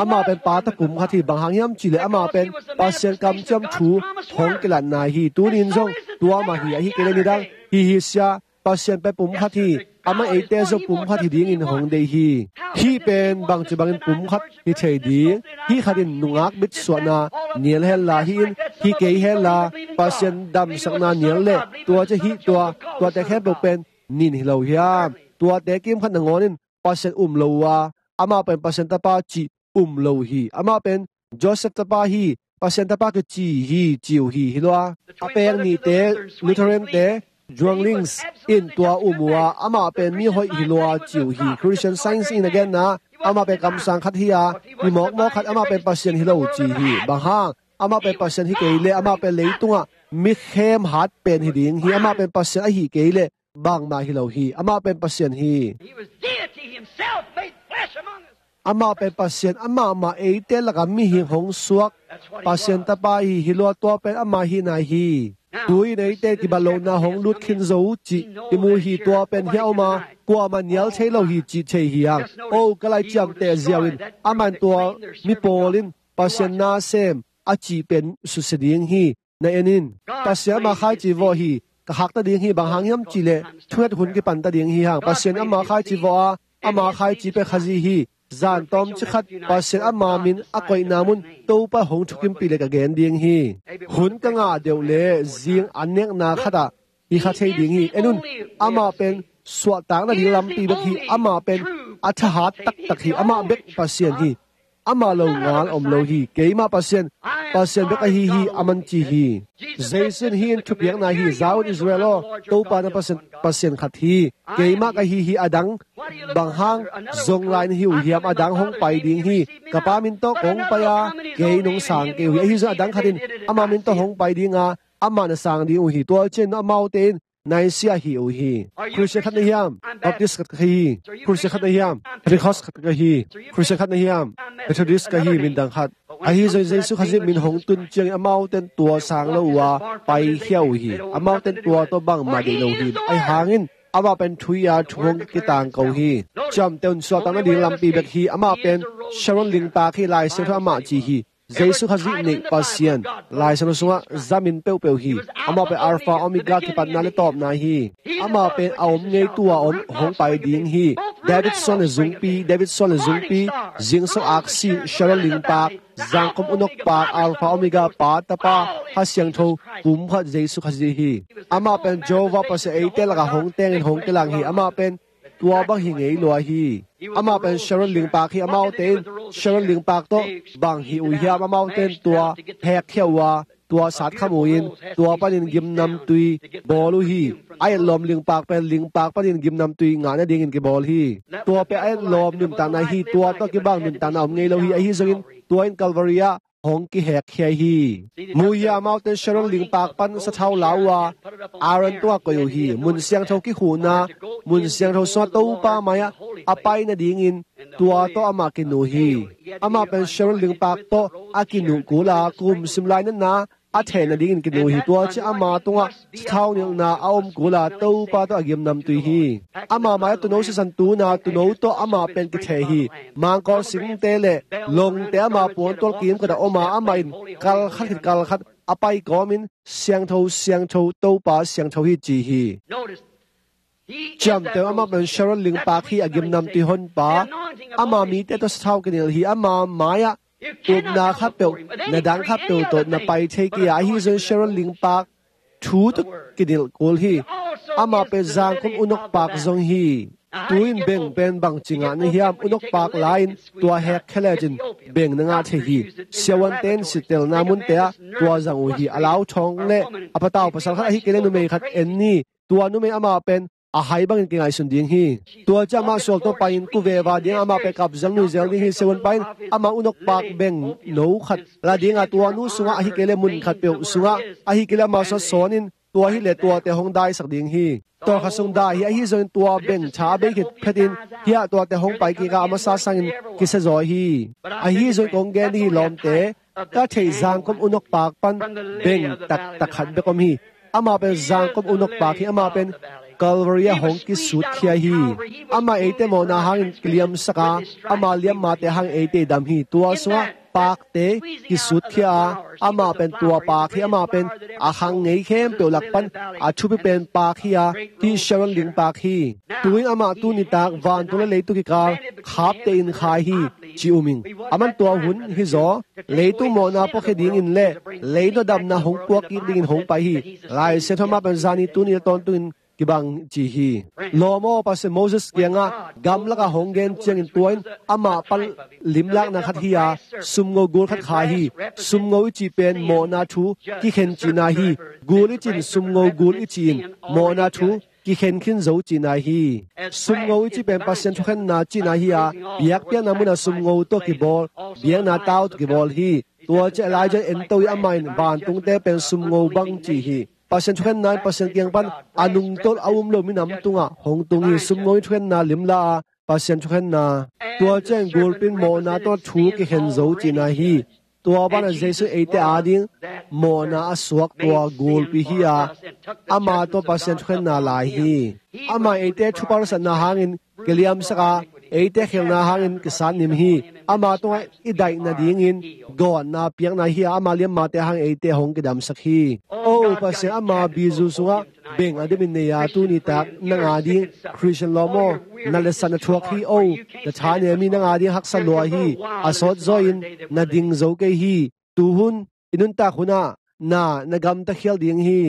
Amah pen Pa tawh pum khat hi. Bang hang hiam cih leh amah pen Pasian kamciam thu hong kilatna hi. Tuni in zong tua mah hi, ahi kei leh nidang hi hi sia, Pasian pen pum khat hi. Amah eite zong pum khat hi dingin hong deih hi. Hih pen bangci bangin pum khat hi thei ding? Hih khat in nungak bitsuahna nial henla, hih in hi kei henla, Pasian damsakna nial leh, tua ciang hih tua, tuate khempeuh pen nin hi lo hiam? Tuate kimkhat nangawn in Pasian um lo uh a, amah pen Pasian tapa cih um lo uh hi. Amah pen Joseph tapa hi, Pasian tapa kici hi, ci uh hi, hi lo a. A peng nihte, Lutheran-te, Junglings in tua um uh a, amah pen mi hoih hi lo a, ci uh hi. Christian Science in a genna, amah pen kamsang khat hi a, mi mawkmawk khat, amah pen Pasian hi lo, ci hi. Bang hang? Amah pen Pasian hi kei leh, amah pen leitungah mi khem hat pen hi ding hi. Amah pen Pasian ahi kei leh, bangmah hi lo hi. Amah pen Pasian hi. He was deity himself made flesh among us. Amah pen Pasian, amah mah eite lakah mihing hong suak Pasian tapa hi, hi lo a, tua pen amah hihna hi. Tu-in eite kibat lohna hong lut khin zo uh cih i mu hi. Tua pen hiah om a, kuamah nial thei lo hi cih thei hi hang. O, ka lai ciamteh ziau in, amah in tua mi pawl in Pasian na sem a cih pen susia ding hi. Na en in. Pasian amah khaici vawh hi. Ka khakta ding hi, bang hang hiam cih leh thunget hun kipanta ding hi hang. Pasian amah khaici vawh a, amah khaici pen Khazih hi. Zan tawmcik khat Pasian ama min a koihna mun Topa hong thukimpih leh ka gen ding hi. Hun ka ngah deuh leh zing an nekna khatah i kha thei ding hi. En un, amah pen suahtak nading lampi bek hi. Amah pen a thahat taktak hi. Amah bek Pasian hi. Amah lo ngal om lo hi. Keimah Pasian, Pasian bek ahi hi, a man ci hi. Jesu in hih in thupiakna hi. Za un Israel aw, Topa na Pasian, Pasian khat hi. Keimah ka hi hi. A dang bang hang zong lai na hi uh hiam? A dang hong pai ding hi. Ka Pa min tawh kong pai a, kei nong sang kei uh hi. Ahi zong a dang khat in ama min tawh hong pai ding a, amah na sang ding uh hi. Tua ciang amaute in Nicaea hi uh hi. Christian khat na hiam? Baptist khat ka hi. Christian khat na hiam? Pentecost khat ka hi. Christian khat na hiam? Methodist ka hi, min dang khat. Ahi zong Jesu Khazih min hong tun ciangin amaute in tua sang lo uh a, paikhia uh hi. Amaute in tua tawh bangmah deih lo hi. Ahi hangin amah pen thu hi a, thu hong kitangko hi. Ciamteh un, suahtak nading lampi bek hi. Amah pen Sharon lingtak hi. Lai Siangtho amah ci hi. Jesu Khazih neih Pasian Lai Siangtho sungah zamin peuhpeuh hi. Amah pen Alpha Omega, kipatna le tawpna hi. Amah pen a om ngei, tu-a om, hong pai ding hi. David suan le zungpi, David suan le zungpi, zingsang aksi, Sharon lingpaak, zangkom unokpaak, Alpha Omega, Pa, Tapa, Kha Siangtho, pumkhat Jesu Khazih hi. Amah pen Jehovah Pasian, eite lakah hong tengin hong kilang hi. Amah pen tua bang hi ngei lua hi. Amah pen Sharon lingpaak hi. Amaute in Sharon lingpaak tawh bang hih uh hiam? Amaute in tua hekkhia uh a, tua satkham uh in, tua panin gimnamtui bawl uh hi. A etlawm lingpaak pen lingpaak panin gimnamtui ngah nadingin kibawl hi. Tua pen a etlawm nuntakna hi. Tua tawh kibang nuntakna om ngei lo hi. Ahi zongin tua in Calvary ah hong kihekkhia hi. Mu hia, amaute in Sharon lingpaak pan sathau la uh a, Aaron tungah koih uh hi. Mun siangtho kikhuhna, mun siangtho sungah Topa mai-ah a pai nadingin tua tawh amah kinu hi. Amah pen Sharon lingpaak tawh a kinuh kul a, kum sim lai natna a theih nadingin kinu hi. Tua ciang ama tungah sathau nilhna a om kul a, Topa tawh a gimnamtui hi. Ama mai-ah tuuno sisan tun a, tuuno tawh amah pen kitheh hi. Mangkaw singte le longte ama puantual kimkot ah om a, amah in kalkhat khit kalkhat a pai kawmin Siangtho, Siangtho, Topa Siangtho hi, ci hi. Ciamteh un, amah pen Sharon lingpaak hi, a gimnamtui honpa. Ama mite tawh sathau kinilh hi. Ama mai-ah upna khatpeuh, na dang khatpeuh tawh na pai thei kei a, ahi zongin Sharon lingpaak thu tawh kinilh kul hi. Amah pen zangkom unokpaak zong hi. Tu-in beng pen bangci ngah na hiam? Unokpaak la-in tua hekkhia lecin beng na ngah thei hi. Siavuante in sittelna munte ah tua zang uh hi. A lauthawng le a patau pasal khat, ahi kei le numei khat en ni. Tua numei, amah pen a hai bangin kingaihsun ding hi. Tua ciang amah sual tawh pai-in kuveva ding, amah pen kapzel nuizel ding hi. Siavun pa in amah unokpaak beng no khat la ding a, tua nu sungah, ahi kei le mun khatpeuh sungah, ahi kei le amah sungah sawn in, tua hi le tuate hong daisak ding hi. Tawlkhat sung dai hi. Ahi zongin tua beng tha a bei khit phetin, hiah tuate hong pai kik a, a masa sangin kisia zaw hi. Ahi zongin kong gen ding hi, lawmte, ka theih zangkom unokpaak pan beng taktak khat bek om hi. Amah pen zangkom unokpaak hi. Amah pen Calvary ah hong kisutkhia hi. Amah eite mawhna hangin kiliamsak a, ama liammate hangin eite i dam hi. Tua sungah paakte kisutkhia a, amah pen tua paak hi. Amah pen a khang ngei khempeuh lak pan a thupi pen paak hi a, hih Sharon lingpaak hi. Tu-in amah tuni tak vantung le leitung kikal khapte in khai hi, ci um ing. Aman tua hun hi zaw, leitung mawhna puakhia dingin le leitung a damna hong puak kik dingin hong pai hi. Lai Siangtho, amah pen zani, tuni le tawntungin kibang, ci hi. Lawm aw, Pasian Moses kiangah gamlakah hong gen ciangin tua in amah pan limlakna khat hi a, sumngo gul khat khai hi. Sumngo i cih pen mawhna thu kikhen cihna hi. Gul i cih in, sumngo gul i cih in mawhna thu kikhen khin zo cihna hi. Sumngo i cih pen Pasian thukhenna cihna hi a, biakpiakna munah sumngo tawh kibawl, biakna tau tawh kibawl hi. Tua ciang Elijah ento hi. Amah in vantungte pen sumngo bang ci hi. Pasian thukhenna in Pasian kiang pan a nungtolh a um lo minam tungah hong tung hi. Sumngo in thukhenna limla a, Pasian thukhenna. Tua ciang gulpi in mawhna tawh thu kikhen zo cihna hi. Tua banah Jesu eite ading mawhna a suak tua gulpi hi a, ama tawh Pasian thukhenna lai hi. Amah eite thupalsatna hangin kiliamsak a, eite khelhna hangin kisatnim hi. Ama tungah i daih nadingin gawtna piakna hi a, ama liammate hangin eite hong kidamsak hi. O Pasian, ama bizu sungah beng a dimin nei a, tuni tak nang ading Khristian lawm aw, na letsatna thuak hi. O, na tha ne mi nang ading haksa lua hi. A sawt zaw in na ding zo kei hi. Tuhun i nuntak hunah na, na gamta khial ding hi.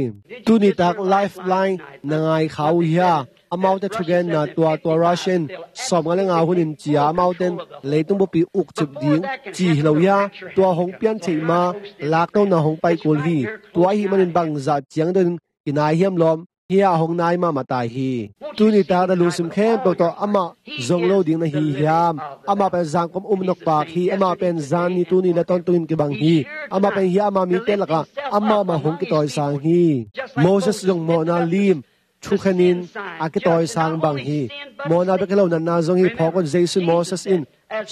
Tuni tak Lifeline na ngai kha uh hia? Amaute thugenna tua, tua Russian sawmnga le nga hun in ci a, amaute in leitung buppi ukcip ding ci hi lo hia? Tua hong pian theih ma, laknona hong pai kul hi. Tua ahih manin bangzah ciang deuhin kinai hiam lawm? Hih a hong nai mahmah ta hi. Tuni tak na lungsim khempeuh tawh amah zong lo ding na hi hiam? Amah pen zangkom unokpaak hi. Amah pen zani, tuni le tawntungin kibang hi. Amah pen hih ama mite lakah amah mah hong kitawisang hi. Moses zong mawhna lim thukhenin a kitawisang bang hi. Mawhna bek hi lo, natna zong hi. Phawk un, Jesu, Moses in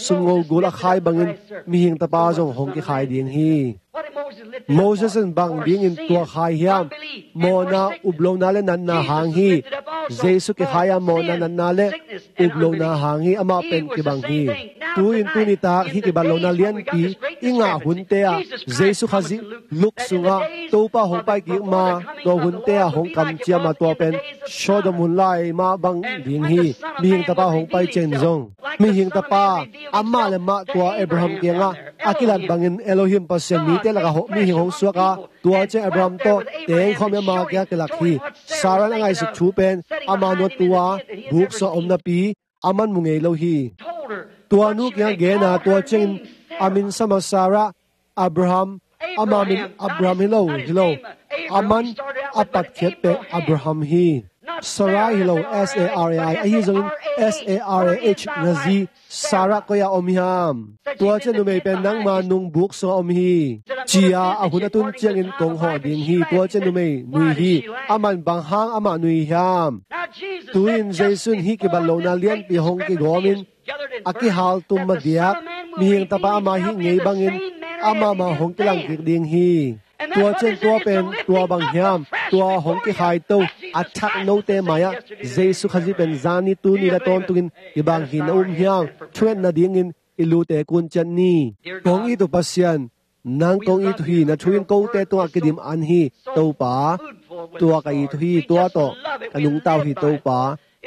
sumngo gul a khai bangin mihing tapa zong hong kikhai ding hi. Moses in bang dingin tua khai hiam? Mawhna, uplona le natna hang hi. Jesu kikhai a, mawhna, natna le uplona hang hi. Amah pen kibang hi. Tu-in tuni tak hih kibat lohna lianpi i ngah hunte ah Jesu Khazih luk sungah Topa hong pai kik ma, tua hunte ah hong kamciam a, tua pen Sodom hun lai mah bang ding hi. Mihing Tapa hong pai ciangin zong, Mihing Tapa amah le mah tua Abraham kiangah a kilat bangin Elohim Pasian mite lakah mihing hong suak a, tua ciang Abraham tawh tengkhawm i ama kiangah kilak hi. Sarah in a ngaihsut thu pen ama nu tua buk sungah om napi a man mu ngei lo hi. Tua nu kiangah gen a, tua ciangin a min sam a Sarah, Abraham, ama min Abraham hi lo, hi lo. A man a patkhiat pen Abraham hi. Sarai hi lo, S A R A I. Ahi zongin S A R A H na zi Sarah koi-ah om hiam? Tua ciang numei pen nangma nung buk sungah om hi, ci-a a hun a tun ciangin kong hawh ding hi. Tua ciang numei nui hi. A man bang hang amah nui hiam? Tu-in Jesu in hih kibat lohna lianpi hong kigawmin a kihaltum madiak Mihing Tapa ama hih ngei bangin amah mah hong kilang kik ding hi. Tua ciang tua pen tua bang hiam? Tua hong kikhaito a thak note mai-ah Jesu Khazih pen zani tuni le tawntungin kibang hi. Na um hiam? Thunget nadingin i lute kun ciat ni. Kong it uh Pasian, nang kong it uh hi. Na thu in kote tungah kidim an hi Topa. Tua ka it uh hi. Tua tawh ka nungta uh hi Topa.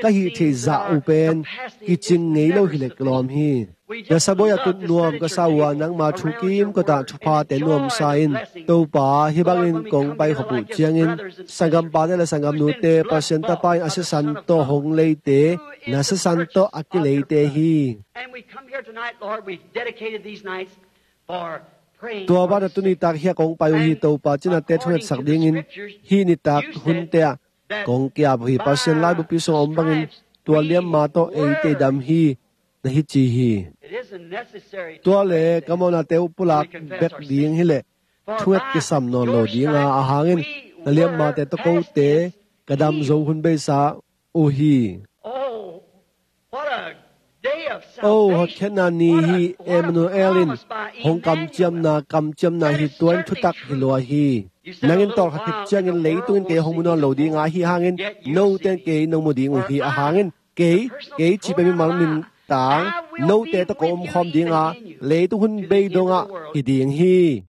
Ka hih theih zah uh pen kicing ngei lo hileh kilawm hi. Na sabuai a tut nuam ka sa uh a, nangma thu kimkot ah thuphate nuamsa in. Topa, hih bangin kong paikhop uh ciangin sanggampate le sanggamnute, Pasian Tapa in a sisan tawh hong leite, na sisan tawh a kileite hi. And we come here tonight, Lord, we've dedicated these nights for praying. Tua banah tuni tak hih a kong pai uh hi Topa, cinate thungetsak dingin hih nitak hunte ah kong ki-ap uh hi. Pasian laibupi sungah om bangin tua liamma tawh eite i dam hi, na hi ci hi. It isn't necessary to pray that. Tua le ka mawhnate uh pulak bek ding hileh thunget kisam nawn lo ding a, ahang in na liammate tawh kote ka dam zo hun beisa uh hi. Oh, what a day of salvation. Oh, hotkhiatna ni hi. Emmanuel in hong kamciamna, kamciamna hi. Tua in thutak hi lua hi. Nang in tawlkhat khit ciangin leitung in kei hong mu nawn lo ding a, ahi hangin note in kei nong mu ding uh hi. Ahang in kei, kei cih pen mimal min tang, note tawh ka omkhawm ding a, leitung hun bei dongah hi ding hi.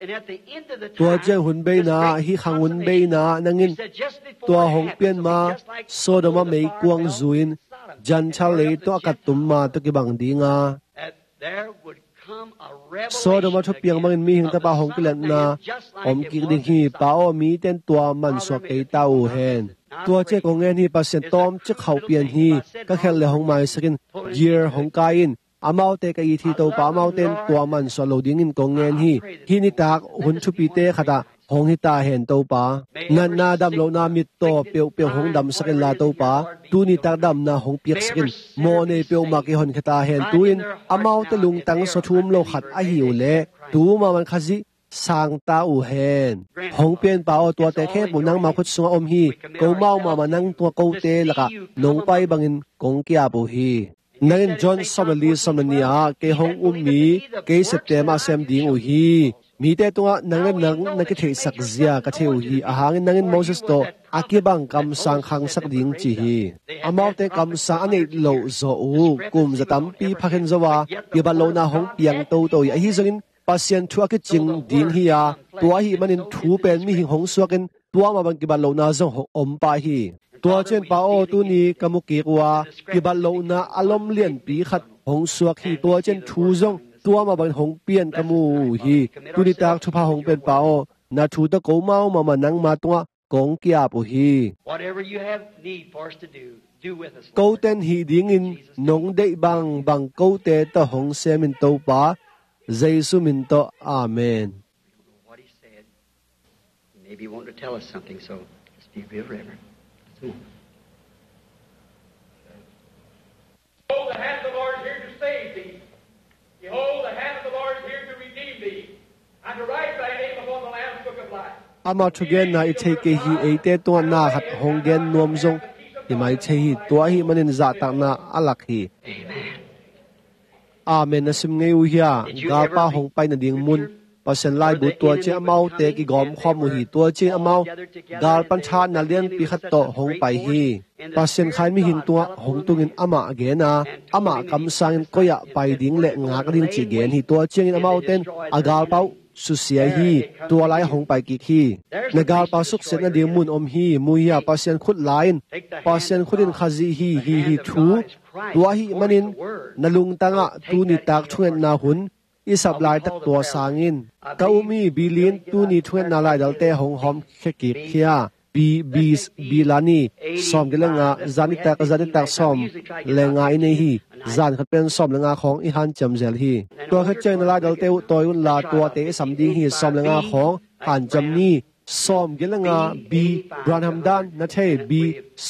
Tua ciang hun beina, hih khang hun beina nang in tua hong pian ma, Sodom ah meikuang zu-in Gentile leitung a kattum ma tawh kibang ding a, Sodom ah thupiang bangin Mihing Tapa hong kilatna om kik ding hi. Pa aw, mite in tua mansuak kei ta uh hen. Tua ciang kong ngen hi, Pasian, tawmcik khauh pian hi. Ka khelh le hong maisak in, gear hong kai in. Amaute ka it hi Topa, amaute in tua mansuah lo dingin kong ngen hi. Hih nitak hun thupite khat ah hong hi ta hen Topa. Natna damlohna mittaw peuhpeuh hong damsak inla Topa, tuni tak damna hong piaksak in. Mawhnei peuhmah kihonkhia ta hen. Tu-in amaute lungtang sung thu um lo khat ahi uh leh tu mahmah in Khazih sang ta uh hen. Hong pia in Pa aw, tuate khempeuh nangma khut sungah om hi. Ko mau mahmah nang tungah kote lakah nong pai bangin kong ki-ap uh hi. Nang in John sawm le li, sawm le nih ah, kei hong um mi, kei septe mah sem ding uh hi. Mite tungah nang le nang na kitheihsak zia ka thei uh hi. Ahang in nang in Moses tawh a kibang kamsang khangsak ding ci hi. Amaute kamsang a neih loh zawh uh kum za tampi phakhen zo a, kibat lohna hong piang toto hi. Ahi zongin Pasian thu a kicing ding hi a, tua ahih manin thu pen mihing hong suak in tua mah bang kibat lohna zong hong om pah hi. Tua ciang Pa aw, tuni ka mu kik uh a, kibat lohna a lom lianpi khat hong suak hi. Tua ciang thu zong tua mah bangin hong pian ka mu uh hi. Tuni tak thupha hong pia in Pa aw, na thu tawh ko mau mahmah nangma tungah kong ki-ap uh hi. Whatever you have need for us to do, do with us, Lord. Kote in hih dingin nong deih bangbang kote tawh hong sem in Topa, Jesu min tawh. Amen. What he said. He may be wanting to tell us something, so just be reverent. Just a moment. Behold, the hand of the Lord is here to save thee. Behold, the hand of the Lord is here to redeem thee, and to write thy name upon the Lamb's book of life. Ama thugenna i thei kei hi. Eite tungah na khat hong gen nuam zong i mai thei hi. Tua ahih manin zahtakna a lak hi. Amen. Amen. Na sim ngei uh hia? Galpa hong pai nading mun Pasian laibu tua ciang amaute kigawm khawm uh hi. Tua ciang amau gal pan thahatna lianpi khat tawh hong pai hi. Pasian kha in mihing tungah hong tungin amah gen a, amah kamsangin koi-ah pai ding le ngak ding cih gen hi. Tua ciangin amaute in a galpa uh susia hi. Tua lai-ah hong pai kik hi. Na galpa suksiat nading mun om hi. Mu hia, Pasian khut la in. Pasian khut in Khazih hi, hi, hi thu. Tua ahih manin na lungtangah tuni tak thungetna hun i sap laitak tua sangin ka um hi. Bilin tuni thungetna laidalte hong hawmkhia kik hia. Bi, bi, bi la ni, sawm giat le nga, zanitak, zanitak sawm le nga i nei hi. Zan khat pen sawm le nga khawng i hanciam zel hi. Tua khit ciang na laidalte uh tawi unla tuate i sam ding hi. Sawm le nga khawng hanciam ni. Sawm giat le nga, bi, Branham dan na thei, bi,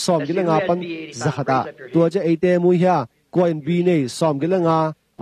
sawm giat le nga pan za khat ah. Tua ciang eite mu hia, kua in bi nei, sawm giat le nga,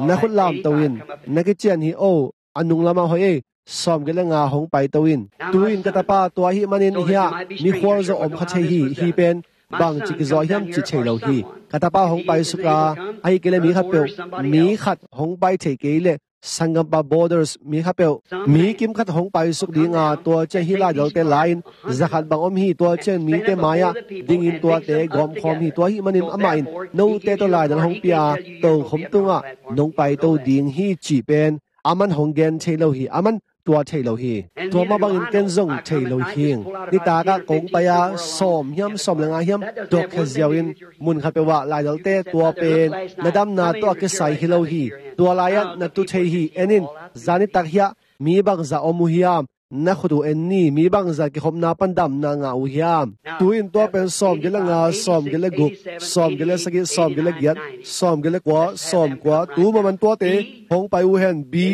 na khut lamto in, na kician hi o, a nung lamah hoih ei, sawm giat le nga hong paito in. Tu-in ka tapa tua ahih manin hia, mikhual zong om kha thei hi, hi pen bangci kizawh hiam ci thei lo hi. Ka tapa hong paisuk a, ahih kei leh mi khatpeuh, mi khat hong pai thei kei leh sanggampa borders mi khatpeuh, mi kim khat hong paisuk ding a, tua ciang hih laidalte la-in za khat bang om hi. Tua ciang mite mai-ah dingin tuate gawmkhawm hi. Tua ahih manin amah in note tawh laidal hong pia a, tokhom tungah nong paito ding hi cih pen aman hong gen thei lo hi. Aman tua thei lo hi. Tua mah bangin ken zong thei lo hing. Nitak ah kong pai a, sawm hiam, sawm le nga hiam, tuak khia ziau in mun khatpeuh ah laidalte tua pen na damna tawh a kisai hi lo hi. Tua lai-ah na tu thei hi. En in, zanitak hiah mi bangzah om uh hiam? Na khut uh en ni. Mi bangzah kikhopna pan damna ngah uh hiam? Tu-in tua pen sawm giat le nga, sawm giat le guk, sawm giat le sagih, sawm giat le giat, sawm giat le kua, sawm kua. Tu maman tuate hong pai uh hen. Bi,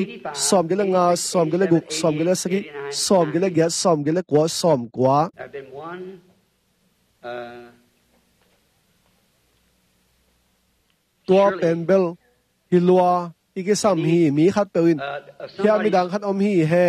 sawm giat le nga, sawm giat le guk, sawm giat le sagih, sawm giat le giat, sawm giat le kua, sawm kua. There have been one, uh, Tua pen bel hi lua, i kisam hi. Mi khatpeuh in, uh, hia midang khat om hi he.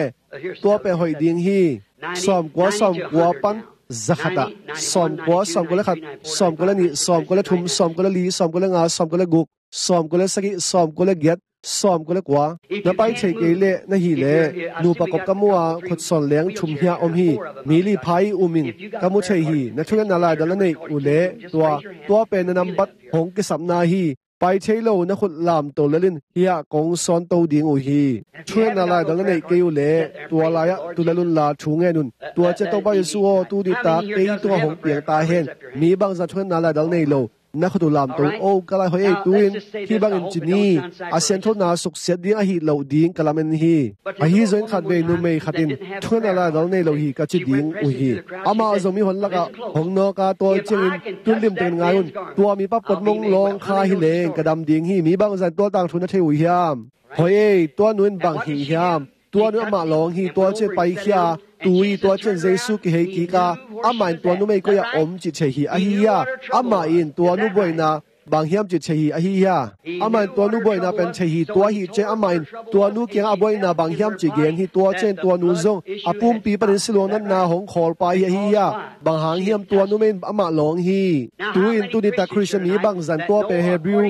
Tua pen hoih ding hi. Sawm kua, sawm kua pan za khat ah. Sawm kua, sawm kua le khat, sawm kua le nih, sawm kua le thum, sawm kua le li, sawm kua le nga, sawm kua le guk, sawm kua le sagih, sawm kua le giat, sawm kua le kua. Na pai thei kei leh na hih leh, nupa kop ka mu a, khutsawn leng thum hiah om hi. Mi li pha i um in ka mu thei hi. Na thungetna laidal na neih uh leh tua, tua pen na nambat hong kisapna hi. Pai thei lo na khut lamto lel in, hiah kong sawnto ding uh hi. Thungetna laidal na neih kei uh leh tua lai-ah tu lel unla thu ngen un. Tua ciang Topa Jesuh aw, tu nitak kei tungah hong piang ta hen. Mi bangzah thungetna laidal nei lo, na khut uh lamto o, ka lai hoih ei. Tu-in hih bangin ci ni, a sianthona suksiat ding ahi loh ding ka lamen hi. Ahi zongin khatvei numei khat in thungetna laidal nei lo hi ka ci ding uh hi. Amah zong mihon lakah hong nawk a, tua ciangin tun limtakin ngai un. Tua mipa potmong lawng kha hi leng ka dam ding hi. Mi bangzah in tua tangthu na thei uh hiam? Hoih ei, tua nu in bang hih hiam? Tua nu amah lawng hi. Tua ciang paikhia, tu hi. Tua ciang Jesuh kihei kik a, amah in tua numei koi-ah om cih thei hi. Ahi hia? Amah in tua nu buaina bang hiam cih thei hi. Ahi hia? Amah in tua nu buaina pen thei hi. Tua ahi ciang amah in tua nu kiangah a buaina bang hiam cih gen hi. Tua ciang tua nu zong a pumpi panin siluang natna hong khawl pa hi. Ahi hia? Bang hang hiam? Tua numei in amah lawng hi. Tu-in tu nitak Khristian mi bangzah in tua pen Hebrew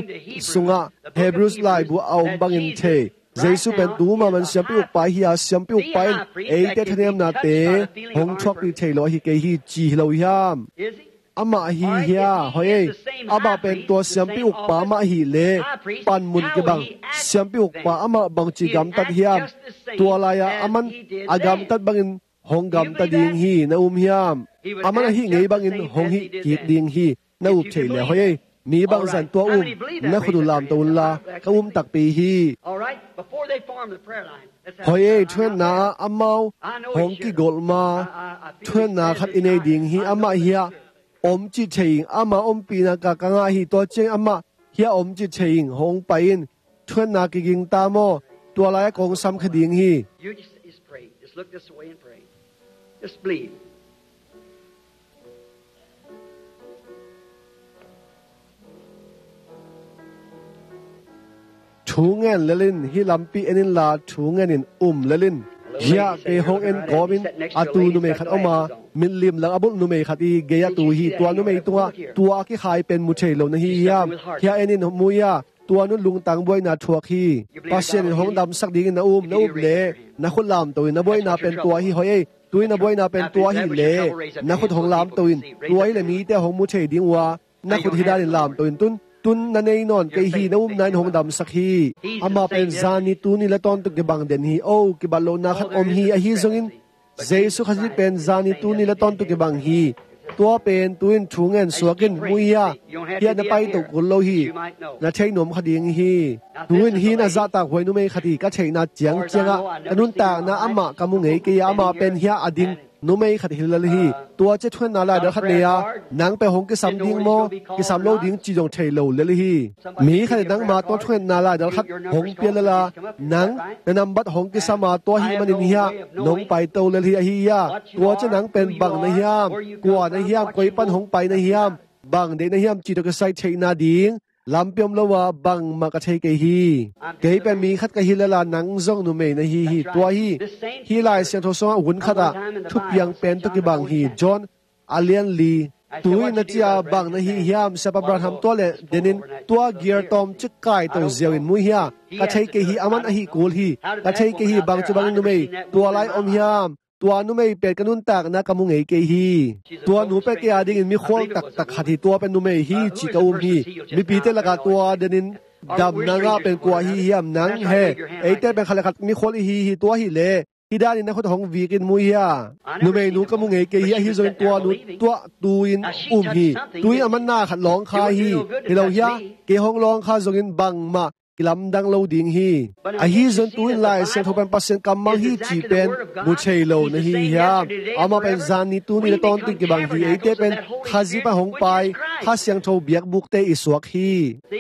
sungah, Hebrews laibu a om bangin thei. Jesuh pen tu maman siampi ukpa hi a, siampi ukpa in eite thanemnate hong thuakpih thei lo ahi kei hi ci hi lo hiam? Amah hi hia? Hoih ei, amah pen tua siampi ukpa amah hi leh panmun kibang siampi ukpa amah bangci gamtat hiam? Tua lai-ah aman a gamtat bangin hong gamta ding hi. Na um hiam? Aman ahi ngei bangin hong hih kik ding hi. Na up thei le hoih ei. Mi bangzah in tua um, na khut uh lamto unla, ka um takpi hi. Hoih ei, thungetna ah amau hong kigolh ma, thungetna khat i nei ding hi. Amah hiah om cih thei ing. Amah ompihna ka ka ngah hi. Tua ciang amah hiah om cih thei ing. Hong pai in. Thungetna kiging ta maw? Tua lai-ah kong samkhia ding hi. You just, just pray. Just look this way and pray. Just believe. Thu ngen lel in, hih lampi en inla thu ngen in, um lel in. Hiah kei hong en kawmin a tu numei khat om a, mitlim lang a bulh numei khat i gei-ah tu hi. Tua numei tungah tua a kikhai pen mu thei lo na hi hiam? Hiah en in, mu ia. Tua nun lungtang buaina thuak hi. Pasian in hong damsak dingin na um, na up le na khut lamto in, na buaina pen tua hi, hoih ei. Tu-in na buaina pen tua hi le na khut hong lamto in, tua hi le mite hong mu thei ding uh a, na khut hi danin lamto in, tun, tun na nei nawn kei hi, na upna in hong damsak hi. Amah pen zani tuni le tawntung kibang den hi. O, kibat lohna khat om hi. Ahi zongin Jesu Khazih pen zani tuni le tawntung kibang hi. Tua pen tu-in thu ngen suak in, mu hia, hia na paito kul lo hi. Na thei nuam kha ding hi. Tu-in hih na zahtak huai numei khat hi. Ka theihna ciangciangah ka nuntakna amah ka mu ngei kei a, amah pen hia a ding numei khat hi lel hi. Tua cia thungetna laidal khat nei a, nang pen hong kisam ding maw, kisam lo ding cih zong thei lo lel hi. Mi khat in nangma tua thungetna laidal khat hong pia lel a, nang na nambat hong kisam a, tua ahih manin hia nong paito lel hi. Ahi hia, tua cia nang pen bang na hiam, kua na hiam, koi pan hong pai na hiam, bang deih na hiam cih tawh kisai theihna ding lampi om lo a, bangmah ka thei kei hi. Kei pen mi khat ka hi lel a, nang zong numei na hi hi. Tua hi, hih Lai Siangtho sungah hun khatah thupiang pen tawh kibang hi. John a lian li. Tu-in na ci a, bang na hi hiam, Siapa Branham, tua le denin tua gear tawmcik kaito ziau in, mu hia, ka thei kei hi, aman ahi kul hi. Ka thei kei hi, bang ci bangin numei tua lai om hiam. Tua numei pen ka nuntakna ka mu ngei kei hi. Tua nu pen kei a dingin mikhual taktak khat hi. Tua pen numei hi cih ka um hi. Mipite lakah tua denin damna ngah pen kua hi hiam, nang he. Eite pen khat le khat mikhual i hi hi. Tua hi le hih danin na khut hong vik in, mu hia. Numeinu ka mu ngei kei hi, ahi zongin tua nu tuah tu-in um hi. Tu-in aman na khat lawng kha hi. Hi lo hia, kei hong lawng kha zongin bangmah kilamdang lo ding hi. Ahi zongin tu-in Lai Siangtho pen Pasian kammal hi cih pen mu thei lo na hi hiam. Amah pen zani tuni le tawntung kibang hi. Eite pen Khazih pan hong pai, Kha Siangtho biakbukte i suak hi.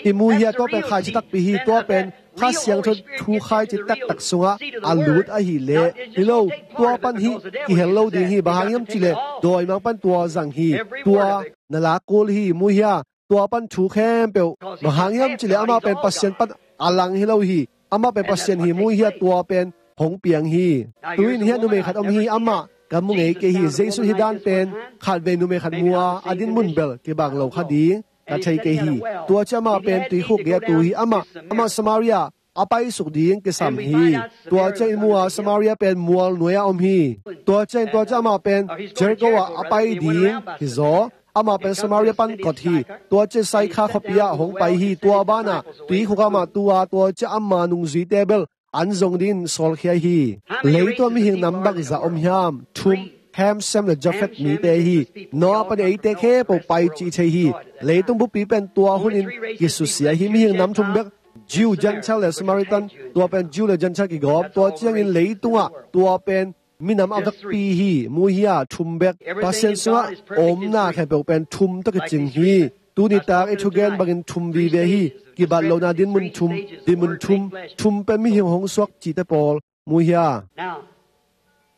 I mu hia, tua pen khaici takpi hi. Tua pen Kha Siangtho thu khaici taktak sungah a lut ahih leh, hi lo, tua pan hih kihel lo ding hi. Bang hang hiam cih leh dawimangpa in tua zang hi. Tua na lak kul hi, mu hia. Tua pan thu khempeuh, bang hang hiam cih leh amah pen Pasian pan a lang hi lo hi. Amah pen Pasian hi, mu hia, tua pen hong piang hi. Tu-in hia numei khat om hi, amah ka mu ngei kei hi. Jesu hih dan pen khatvei numei khat mu a, a dinmun bel kibang lo kha ding ka thei kei hi. Tua cia amah pen tuikhuk gei-ah tu hi. Amah, amah Samaria a paisuk ding kisam hi. Tua cia in mu a, Samaria pen mual nuai-ah om hi. Tua cia in, tua cia amah pen Jericho ah a pai ding hi zaw. Amah pen Samaria pan kot hi. Tua cia Saikha khuapi ah hong pai hi. Tua banah tuikhuk ah amah tu a, tua cia ama nungzuite bel an zong dingin sawlkhia hi. Leitung ah mihing nam bangzah om hiam? Thum, Ham, Sem le Jafet mite hi. Noah pan eite khempeuh pai cih thei hi. Leitung buppi pen tua hunin kisusia hi. Mihing nam thum bek, Jew, Gentile le Samaritan, tua pen Jew le Gentile kigawm. Tua ciangin leitungah tua pen minam a vekpi hi, mu hia, thum bek. Pasian sungah omna khempeuh pen thum tawh kicing hi. Tuni tak i thugen bangin thum vive hi. Kibat lohna dinmun thum, dinmun thum, thum pen mihing hong suak cihte pawl, mu hia.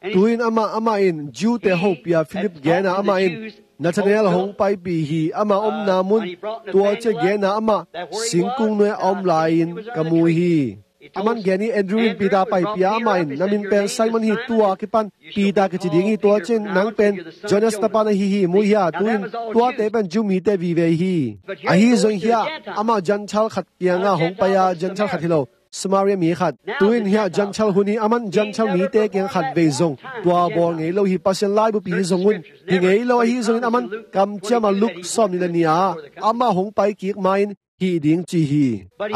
Tu-in amah, amah in Jew-te hopih a Philip gen a, amah in Nathanael hong paipih hi. Amah omna mun tua cia gen a, amah singkung nuai a om lai-in ka mu hi. Aman gen hi, Andrew in Peter paipih a, amah in, "Na min pen Simon hi, tua kipan Peter kici ding hi. Tua ciangin nang pen Jonas tapa na hi hi, mu hia." Tu-in tuate pen Jew mite vive hi. Ahi zong hia, amah Gentile khat kiangah hong pai a, Gentile khat hi lo, Samaria mi khat. Tu-in hia Gentile hun hi, aman Gentile mite kiang khatvei zong tua bawl ngei lo hi. Pasian laibupi hi zong un hi ngei lo. Ahi zongin aman kamciam a Luke sawm nih le nih a amah hong pai kik ma-in hih ding ci hi.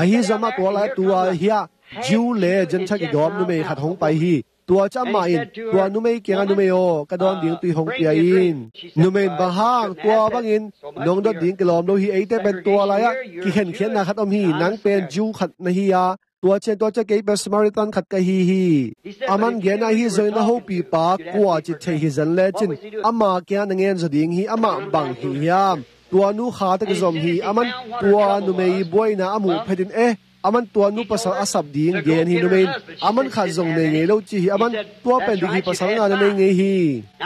Ahi zong amah tua lai tua hia Jew le Gentile kigawm numei khat hong pai hi. Tua cia amah in tua numei kiangah, "Numei aw, ka dawn ding tui hong pia in." Numei in, "Bang hang, tua bangin nong dot ding kilawm lo hi. Eite pen tua lai-ah kikhenkhiatna khat om hi. Nang pen Jew khat na hi a, tua ciang tua cia kei pen Samaritan khat ka hi hi." Aman gen a, "Ahi zongin na hopipa kua cih theih hi zen lecin ama kiangah na ngen zaw ding hi. Amah bang hi hiam?" Tua nu kha tawh kizom hi. Aman tua numei buaina a muh phetin, "Eh, aman tua nu pasal a sap ding gen hi." Numei in aman khat zong nei ngei lo ci hi. Aman, "Tua pen dik hi, pasal nga na nei ngei hi."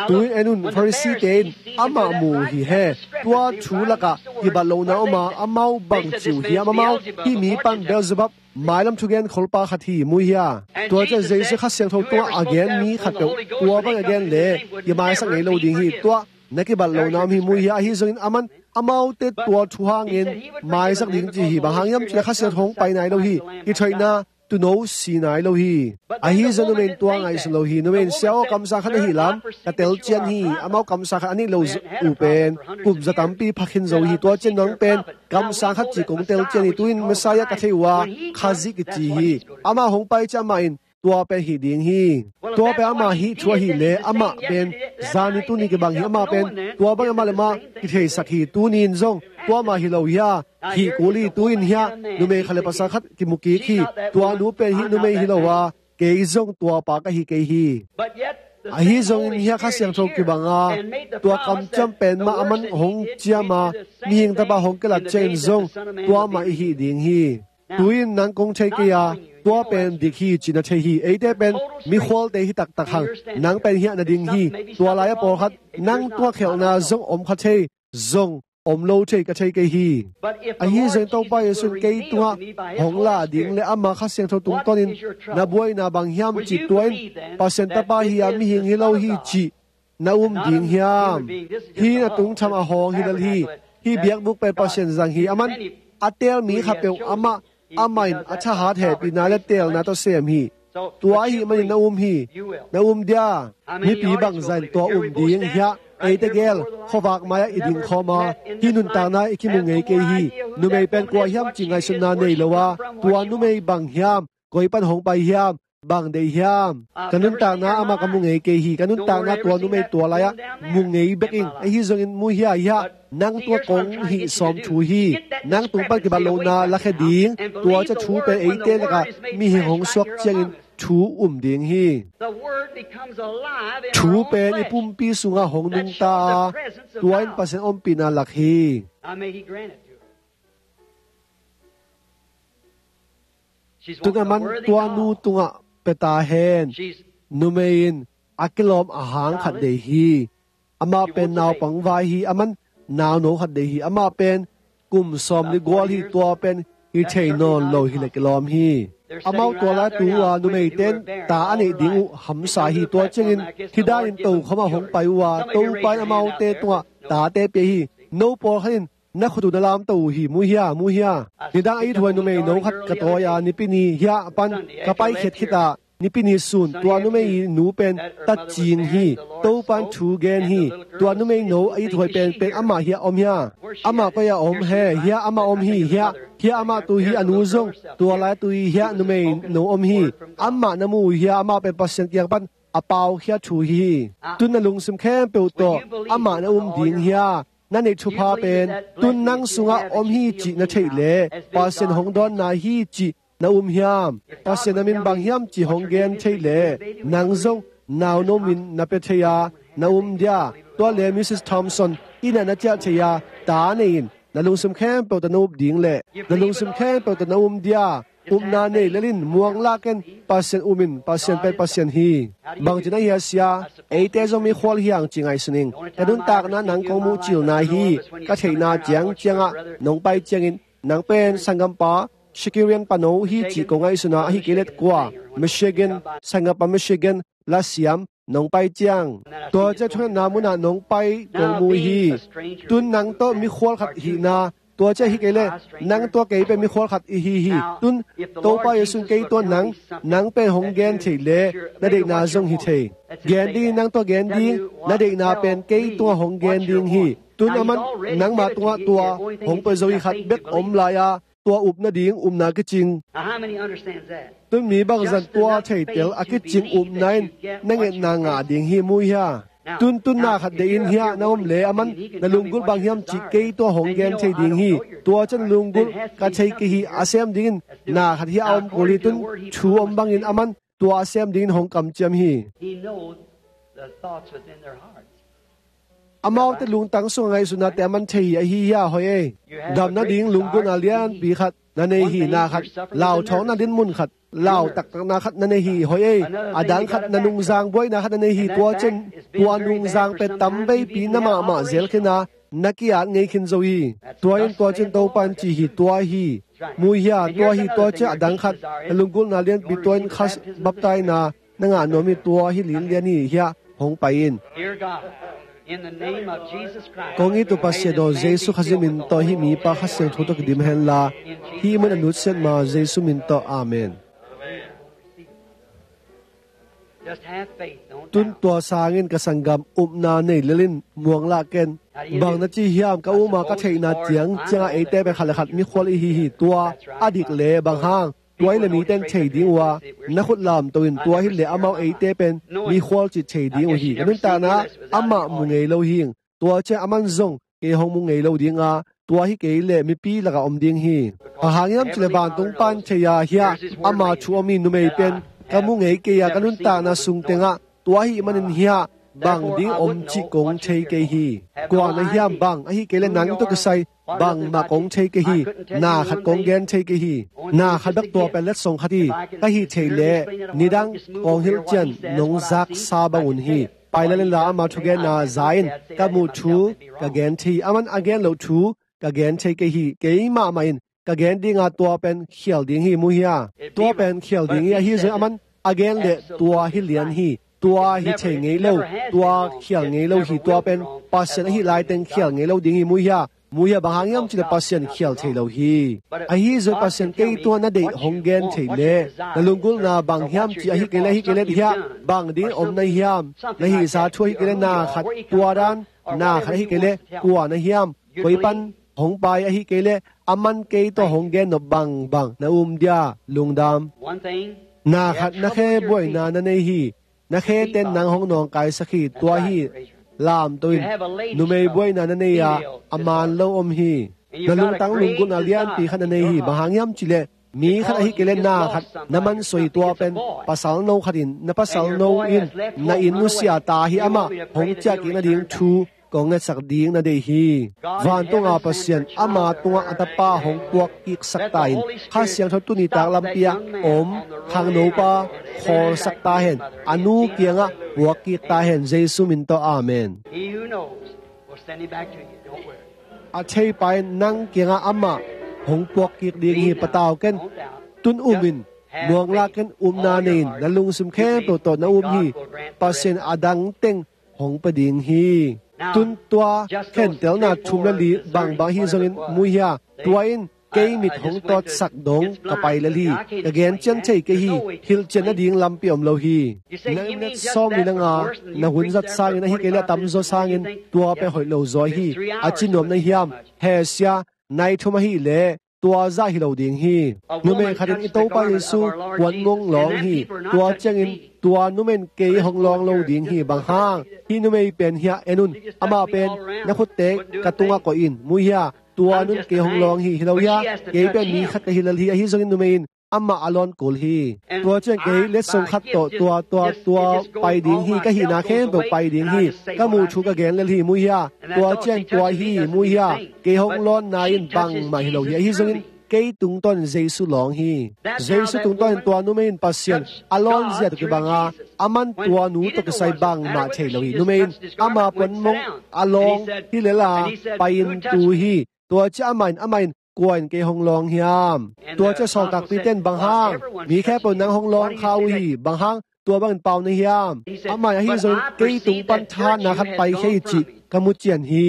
Tu-in en un, Pharisee-te in amah mu hi he. Tua thu lakah kibat lohna om a, amau bang ci uh hiam? Amau, "Hih mi pan Beelzebub, mailam thugen kholpa khat hi, mu hia." Tua ciang Jesu Kha Siangtho tungah a gen mi khatpeuh tua bang a gen le kimaisak ngei lo ding hi. Tua na kibat lohna om hi, mu hia. Ahi zongin aman Amaute tua thu hangin maisak ding ci hi. Bang hang hiam cih leh Kha Siangtho hong pai nai lo hi. Kithoihna tuuno si nai lo hi. Ahi zong numei in tua ngaihsun lo hi. Numei in, "Sia aw, kamsang khat na hih lam ka telcian hi. Amau kamsang khat a neih lo uh pen kum za tampi pha khin zo hi. Tua ciang nang pen kamsang khat cih kong telcian hi. Tu-in Messiah ka thei uh a, Khazih kici hi. Amah hong pai ciang amah in tua pen hih ding hi." Tua pen amah hih thu ahih leh amah pen zani tuni kibang hi. Amah pen tua bang amah le amah kitheisak hi. Tuni in zong tua mah hi lo hia? Hih kul hi. Tu-in hiah numei khat le pasal khat kimu kik hi. Tua nu pen hih numei hi lo a, kei zong tua pa ka hi kei hi. Ahi zongin hiah Kha Siangtho kibang a, tua kamciam pen mah aman hong ciam a, mihing Tapa hong kilat ciangin zong tua mah i hih ding hi. Tu-in nang kong thei kei a, tua pen dik hi ci na thei hi. Eite pen mikhualte hi taktak hang, nang pen hiah na ding hi. Tua lai-ah pawlkhat nang tua khialhna zong om kha thei, zong om lo thei ka thei kei hi. Ahi zongin Topa Jesu in kei tungah hong lah ding le amah Kha Siangtho tungtawnin na buaina bang hiam cih, tua in Pasian Tapa hi a, mihing hi lo hi cih na um ding hiam? Hih na tungtham a hawng hi lel hi. Hih biakbuk pen Pasian zang hi. Aman a teel mi khat peuh amah, amah in a thahat hehpihna le teelna tawh sem hi. Tua ahih manin na um hi. Na um dia? Mipi bangzah in tua um ding hiah? Eite gel, khuavak mai-ah i dingkhawm a, hih nuntakna i kimu ngei kei hi. Numei pen kua hiam cih ngaihsutna nei lo a, tua numei bang hiam, koi pan hong pai hiam, bang deih hiam? Ka nuntakna amah ka mu ngei kei hi. Ka nuntakna tua numei tua lai-ah mu ngei bek ing. Ahi zongin mu hia, hiah nang tua kong hih sawm thu hi. Nang tung pan kibat lohna lakhia ding, tua ciang thu pen eite lakah mihing hong suak ciangin thu um ding hi. Thu pen i pumpi sungah hong nungta a, tua in Pasian ompihna lak hi. Tun aman tua nu tungah pia ta hen. Numei in a kilawm a hang khat deih hi. Amah pen naupang vai hi. Aman nauno khat deih hi. Amah pen kum sawm li gual hi. Tua pen hi thei nawn lo hi le kilawm hi. Amau tua lai tu uh a, numeite in ta a neih ding uh hamsa hi. Tua ciangin hih danin tokhom ah hong pai uh a, Topa in amaute tungah tate pia hi. No pawlkhat in na khut uh na lamto uh hi. Mu hia, mu hia? Nidang a ithuai numeino khat ka tawi a, Nipi ni hiah pan ka paikhiat khit a, Nipi ni sun tua numei nu pen tatcing hi. Topa in thu gen hi. Tua numeino a ithuai penpen amah hiah om hia? Amah koi-ah om he? Hiah amah om hi. Hiah, hiah amah tu hi. A nu zong tua lai tu hi. Hiah numeino om hi. Amah na mu uh hia? Amah pen Pasian kiang pan a paukhia thu hi. Tun na lungsim khempeuh tawh amah na um ding hia? Na neih thupha pen tun nang sungah om hi cih na theih leh Pasian hong dawnna hi cih na um hiam? Pasian na min bang hiam cih hong gen theih leh nang zong nauno min na pia thei a, na um dia? Tua le Mrs Thompson inn ah na ciah thei a, ta nei in. Na lungsim khempeuh tawh na up ding le na lungsim khempeuh tawh na um dia? Upna nei lel in, muang lak in, Pasian um in. Pasian pen Pasian hi. Bangci na hia, sia? Eite zong mikhual hi hang ci ngaihsun ing. Ka nuntakna nang kong muh cilna hi. Ka theihna ciangciangah nong pai ciangin nang pen sanggampa Shakirian pano hi cih kong ngaihsun a, ahi kei leh kua, Michigan, sanggampa Michigan, lasiam, nong pai ciang. Tua ciang thungetna munah nong pai kong mu hi. Tun nang tawh mikhual khat hihna, tua ciang hi kei leh nang tawh kei pen mikhual khat i hi hi. Tun Topa Jesu in kei tungah nang, nang pen hong gen thei leh na deihna zong hi thei. Gen ding, nang tawh gen ding, na deihna pen kei tungah hong gen ding hi. Tun aman nangma tungah tua hong pia zo hi. Khat bek om lai-a tua up nading upna kicing. Now, how many understands that? Tun mi bangzah in tua theitel a kicing upna in na ngetna ngah ding hi, mu hia? Tun, tun na khat deih in hiah na om le aman na lunggulh bang hiam cih kei tua hong gen thei ding hi. Tua ciang na lunggulh ka thei kei hi, a sem dingin na khat hiah a om kul hi. Tun thu om bangin aman tua a sem dingin hong kamciam hi. He knows the thoughts within their hearts. Amaute lungtang sungah ngaihsutnate aman thei hi. Ahi hiah hoih ei. Dam nading lunggulhna lianpi khat na nei hi. Na khat, lauthawngna dinmun khat, lau taktakna khat na nei hi. Hoih ei. A dang khat, na nungzang buaina khat na nei hi. Tua ciang tua nungzang pen tamveipi na mahmah zel khin a, na ki-at ngei khin zo hi. Tua in tua ciang Topa in ci hi. Tua hi. Mu hia? Tua hi. Tua ciang a dang khat, na lunggulhna lianpi, tua in kha baptaina na ngah nuam hi. Tua hi, linlian hi. Hiah hong pai in. Dear God, Kong it uh Pasian aw, Jesu Khazih min tawh hih mipa Kha Siangtho tawh kidim henla, hih mun a nutsiat ma Jesu min tawh, Amen. Tun tua sangin ka sanggam, upna nei lel in, muang lah ken. Bang na ci hiam? Ka um a, ka theihna ciang ciangah eite pen khat le khat mikhual i hi hi. Tua a dik le, bang hang? Tua hi le mite in thei ding uh a, na khut lamto in, tua hi le amau eite pen mikhual cih thei ding uh hi. Ka nuntakna amah mu ngei lo hi. Tua ciang aman zong kei hong mu ngei lo ding a, tua hi kei le mipi lakah om ding hi. Bang hang hiam cih le vantung pan thei a, hiah ama thu om hi. Numei pen ka mu ngei kei a, ka nuntakna sung tengah tua ahih manin hiah bang ding om cih kong thei kei hi. Kua na hiam? Bang ahih kei le nang tawh kisai bangmah kong thei kei hi. Na khat kong gen thei kei hi. Na khat bek, tua pen letsong khat hi. Ka hih theih leh nidang kong hilhcian nong zaksa bang un hi. Pai lel inla ama thugenna za in. Ka muh thu ka gen thei hi. Aman a gen loh thu ka gen thei kei hi. Kei mahmah in ka gen ding a, tua pen khial ding hi, mu hia? Tua pen khial ding hi. Ahi zong aman a gen leh tua hi lian hi. Tua hi thei ngei lo, tua khial ngei lo hi. Tua pen Pasian ahih lai teng khial ngei lo ding hi, mu hia? Mu hia? Bang hang hiam cih le Pasian khial thei lo hi. Ahi zong Pasian kei tungah na deih hong gen thei leh, na lunggulhna bang hiam cih ahih kei leh, ahih kei leh hiah bang ding om na hiam? Na hihsa thu ahih kei leh na khat, tua dan na khat ahih kei leh kua na hiam? Koi pan hong pai ahih kei leh aman kei tawh hong gen nop bangbang na um dia, lungdam. Na khat na khe buaina na nei hi. Na khe ten nang hong nawngkaisak hi. Tua hi, lamto in. Numei buaina na nei a, a man lo om hi. Na lungtang lunggulhna lianpi khat na nei hi. Bang hang hiam cih leh mi khat ahih kei leh na khat na mansuah hi. Tua pen pasal no khat in, na pasal no in na inn nusia ta hi. Amah hong ciah kik nading thu kong ngetsak ding na deih hi. Vantunga Pasian ama tungah a tapa hong puak kiksak ta in, Kha Siangtho tuni tak lampi ah om khangnopa khawlsak ta hen. A nu kiangah puak kik ta hen. Jesu min tawh, Amen. He who knows will send him back to you. Don't worry. A theipa in nang kiangah amah hong puak kik ding hi. Patau ken. Tun um in, muang lah ken. Upna nei in, na lungsim khempeuh tawh na um hi. Pasian a dang teng hong pia ding hi. Tun tua khentelna thum le li bangbang hi zongin, mu hia? Tua in kei mit hong tawtsak dong ka pai lel hi. Ka gen cian thei kei hi. Hilhcian nading lampi om lo hi. Na minute sawmli le nga na hun zat sangin, ahih kei leh a tamzaw sangin, tua pen hoih lo zaw hi. A ci nuam na hiam? He sia, nai thum ahih leh tua zah hi lo ding hi. Numei khat in i Topa Jesu puan ngong lawng hi. Tua ciangin tua numei in kei hong lawng lo ding hi. Bang hang? Hih numei pen hiah en un. Amah pen na khutte ka tungah koih in, mu hia? Tua nu in kei hong lawng hi. Hi lo hia? Kei pen mi khat ka hi lel hi. Ahi zongin numei in amah a lawn kul hi. Tua ciang kei letsong khat tawh tua, tua, tua pai ding hi. Ka hihna khempeuh pai ding hi. Ka muh thu ka gen lel hi, mu hia? Tua ciang tua hi, mu hia? Kei hong lawnna in bangmah hi lo hi. Ahi zongin kei tungtawn in Jesu lawng hi. Jesu tungtawn in tua numei in Pasian a lawnzia tawh kibang a, aman tua nu tawh kisai bangmah thei lo hi. Numei in ama puanmong a lawng hi lel a, pai in tu hi. Tua ciang amah in, amah in, kua in kei hong lawng hiam? Tua ciang sawltakpite in, bang hang? Mi khempeuh nang hong lawng kha uh hi. Bang hang tua bangin pau na hiam? Amah in, ahi zongin kei tung pan thahatna khat paikhia hi cih ka mu cian hi.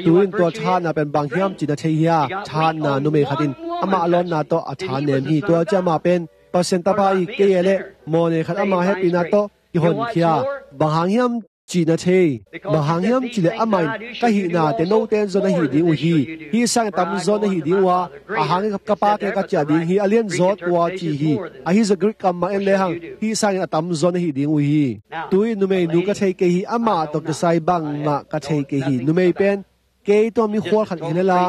Tu-in tua thahatna pen bang hiam cih na thei hia? Thahatna numei khat in amah a lawnna tawh a thanem hi. Tua ciang amah pen Pasian Tapa hi. Kei a leh mawhnei khat ama hehpihna tawh kihonkhia. Bang hang hiam cih na thei? Bang hang hiam cih leh amah in, ka hihnate note in zong na hih ding uh hi. Hih sangin a tamzaw na hih ding uh a, a hangin ka Pa kiangah ka ciah ding hi. A lianzaw tua ci hi. Ahi zong Greek kam mah en lehang, hih sangin a tamzaw na hih ding uh hi. Tu-in numeinu ka thei kei hi. Amah tawh kisai bangmah ka thei kei hi. Numei pen kei tungah mikhual khat hi lel a,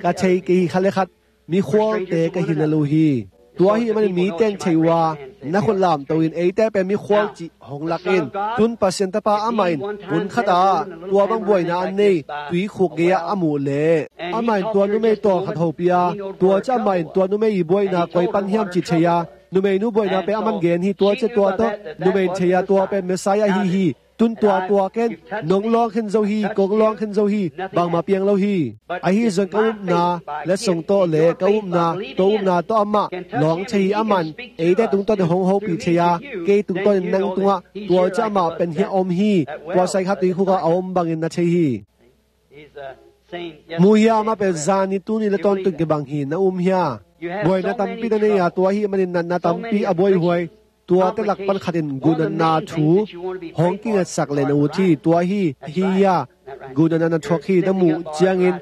ka thei kei hi. Khat le khat mikhualte ka hi lel uh hi. Tua ahih manin mite in thei uh a, na khut lamto in, eite pen mikhual cih hong lak in. Tun Pasian Tapa amah in hun khat ah tua bang buaina a nei tuikhuk gei-ah a muh leh, amah in tua numei tawlkhat hopih a, tua ciang amah in tua numei ii buaina koi pan hiam cih thei a, numeinu buaina pen aman gen hi. Tua ciang tua tawh numei in thei a, tua pen Messiah ahi hi. Tun tua tua ken, nong lawng khin zo hi, kong lawng khin zo hi, bangmah piang lo hi. Ahi zong ka upna letsong tawh le ka upna, tua upna tawh amah lawng thei hi. Amah in eite tungtawn in hong hopih thei a, kei tungtawn in nang tungah tua ciang amah pen hiah om hi. Tua sai khat tui khukah a om bangin na thei hi. Mu hia, amah pen zani tuni le tawntung kibang hi, na um hia? Buaina tampi na nei a, tua ahih manin natna tampi a buaihuai, tuate lak pan khat in guhnatna thu hong kingetsak le na ut hi. Tua hi, hi hia? Guhnatna na thuak hi, na muh ciangin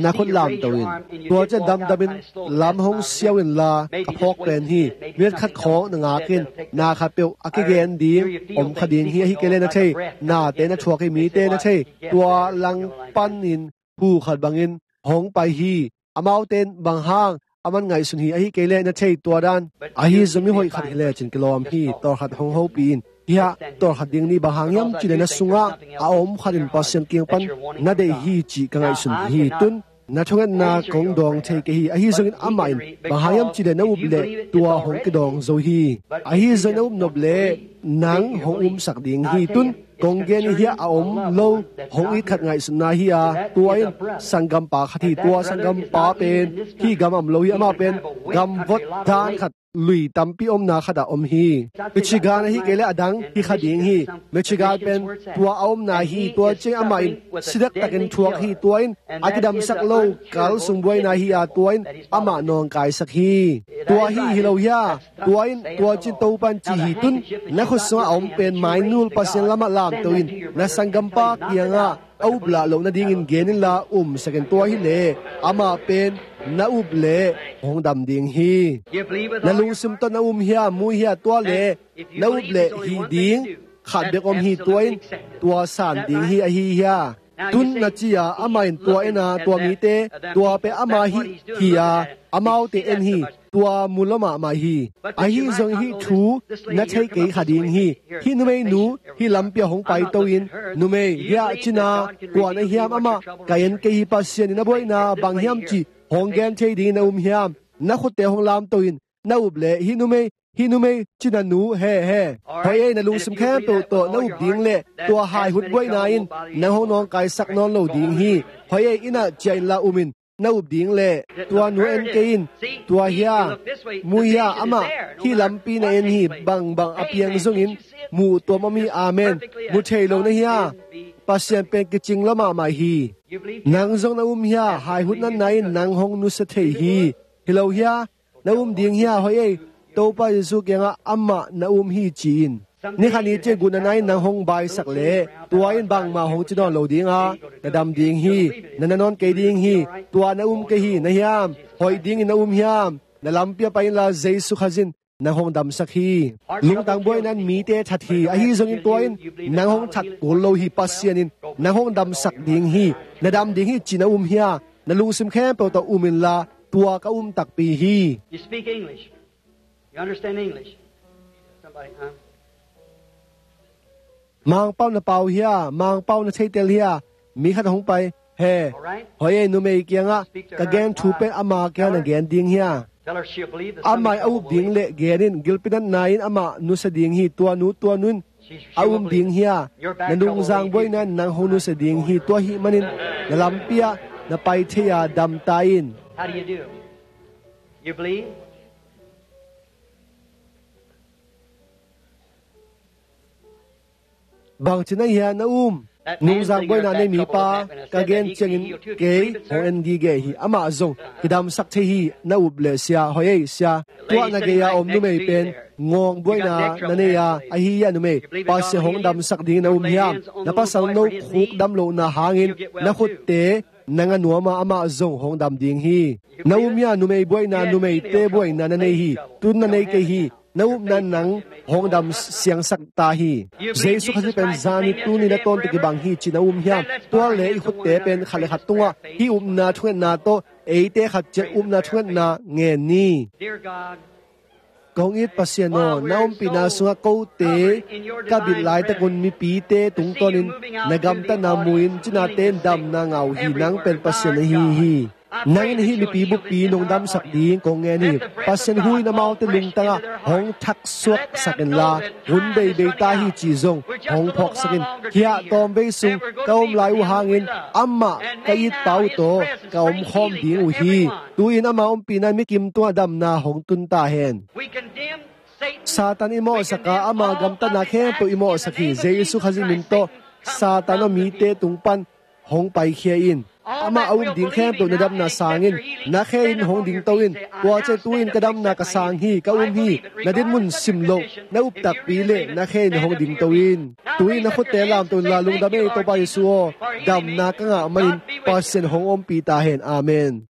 na khut lamto in. Tua ciang damdamin lam hong siau inla, ka phawk pen hi. Minute khat khawng na ngak in, na khatpeuh a kigen ding om kha ding hi. Ahih kei leh na thei, nate na thuak hi, mite na thei. Tua langpan in phu khat bangin hong pai hi. Amaute in bang hang a man ngaihsun hi, ahih kei leh na thei tua dan. Ahi zong mi hoih khat hi lecin kilawm hi. Tawlkhat hong hopih in. Hiah tawlkhat ding ni, bang hang hiam cih leh na sungah a om khat in Pasian kiang pan na deih hi cih ka ngaihsun hi. Tun na thungetna kong dawng thei kei hi. Ahi zongin amah in bang hang hiam cih leh na up leh tua hong kidawng zo hi. Ahi zongin na up nop leh nang hong umsak ding hi. Tun kong gen hi, hiah a om lo hong it khat ngaihsutna hi a, tua in sanggampa khat hi. Tua sanggampa pen hih gam a om lo hi. Amah pen gamvot dan khat, lui tampi omna khatah om hi. Michigan ahih kei leh a dang hi kha ding hi. Michigan pen tua a omna hi. Tua ciang amah in si dektakin thuak hi. Tua in a kidamsak lo kal sung buaina hi a, tua in amah nawngkaisak hi. Tua hi, hi lo hia? Tua in tua cin Topa in ci hi. Tun na khut sungah a om pen mainul Pasian lamah lamto in, na sanggampa kiangah a uplah loh nadingin gen inla umsak in. Tua hi leh amah pen na up leh hong dam ding hi. Na lungsim tawh na um hia, mu hia? Tua leh na up leh hih ding khat bek om hi. Tua in tua san ding hi. Ahi hia? Tun na ci a, amah in tua en a, tua mite, tua pen ama hih hi a, amaute en hi. Tua mu lua mahmah hi. Ahi zong hih thu na thei kei kha ding hi. Hih numeinu hih lampi ah hong paito in, numei, hiah cina, kua na hiam? Amah ka en kei hi. Pasian in a buaina bang hiam cih hong gen thei dingin na um hiam? Na khutte hong lamto in, na up leh hih numei, hih numei cina nu, he, he. Hoih ei, na lungsim khempeuh tawh na up ding leh tua haihut buaina in nang hong nawngkaisak nawn lo ding hi. Hoih ei, inn ah ciah inla um in, na up ding leh. Tua nu en kei in, tua hia? Mu hia? Amah hih lampi na en hi. Bangbang a piang zongin muh tuam om hi. Amen. Mu thei lo na hia? Pasian pen kicing lua mahmah hi. Nang zong na um hia? Haihut natna in nang hong nusia thei hi. Hi lo hia? Na um ding hia? Hoih ei, Topa Jesu kiangah amah na um hi ci in. Ni khat ni ciang guhnatna in nang hong baisak leh tua in bangmah hong ci nawn lo ding a, na dam ding hi. Na na nawn kei ding hi. Tua na um kei hi. Na hiam? Hoih dingin na um hiam? Na lampi ah pai inla Jesu Khazih in nang hong damsak hi. Lungtang buaina in mite that hi. Ahi zongin tua in nang hong that kul lo hi. Pasian in nang hong damsak ding hi. Na dam ding hi cih na um hia? Na lungsim khempeuh tawh um inla, tua ka um takpi hi. You speak English? You understand English? Somebody, huh? Mangpau na pau hia? Mangpau na theitel hia? Mi khat hong pai. He. Hoih ei, numei kiangah ka gen thu pen ama kiangah na gen ding hia? Amah in a up ding leh gen in. Gilpi natna in amah nusia ding hi. Tua nu, tua nu in a um ding hia? Na nungzang buaina in nang hong nusia ding hi. Tua ahih manin na lampi ah na pai thei a, dam ta in. How do you do? You believe? Bangci na hia, na um? Nungzang buaina nei mipa ka gen ciangin kei hong en gige hi. Amah zong kidamsak thei hi. Na up leh, sia. Hoih ei, sia. Tua na gei-a om numei pen ngawng buaina na nei a, ahi a, numei, Pasian hong damsak dingin na um hiam? Na pasal no khuk dam lohna hangin na khutte nang a nuam a, amah zong hong dam ding hi. Na um hia? Numei buaina, numeite buaina na nei hi. Tun na nei kei hi. Na upna in nang hong dam siangsak ta hi. Jesu Khazih pen zani, tuni le tawntung kibang hi cih na um hiam? Tua leh i khutte pen khat le khat tungah hih upna thungetna tawh eite khat ciat upna thungetna ngen ni. Kong it Pasian aw, na ompihna sungah kote ka bit laitakun mipite tungtawnin na gamtatna mu-in cinate in damna ngah uh hi. Nang pen Pasian na hi hi. Nang in hih mipi buppi nong damsak ding kong ngen hi. Pasian hu in amaute lungtangah hong thaksuaksak inla, hun beibei ta hi ci zong hong phawksak in. Hiah tawmvei sung ka om lai uh hangin amah ka itpa uh tawh ka omkhawm ding uh hi. Tu-in ama ompihna in mikim tungah damna hong tun ta hen. Satan i mawhsak a, ama gamtatna khempeuh i mawhsak hi. Jesu Khazih min tawh Satan aw mite tung pan hong paikhia in. Amah a um ding khempeuh na damna sangin na khe in hong dingto in. Tua ciang tu-in ka damna ka sang hi, ka um hi, na dinmun sim loh, na up takpi le na khe in hong dingto in. Tu-in na khutte lamto inla, lungdam ei Topa Jesu aw, damna ka ngah manin Pasian hong ompih ta hen. Amen.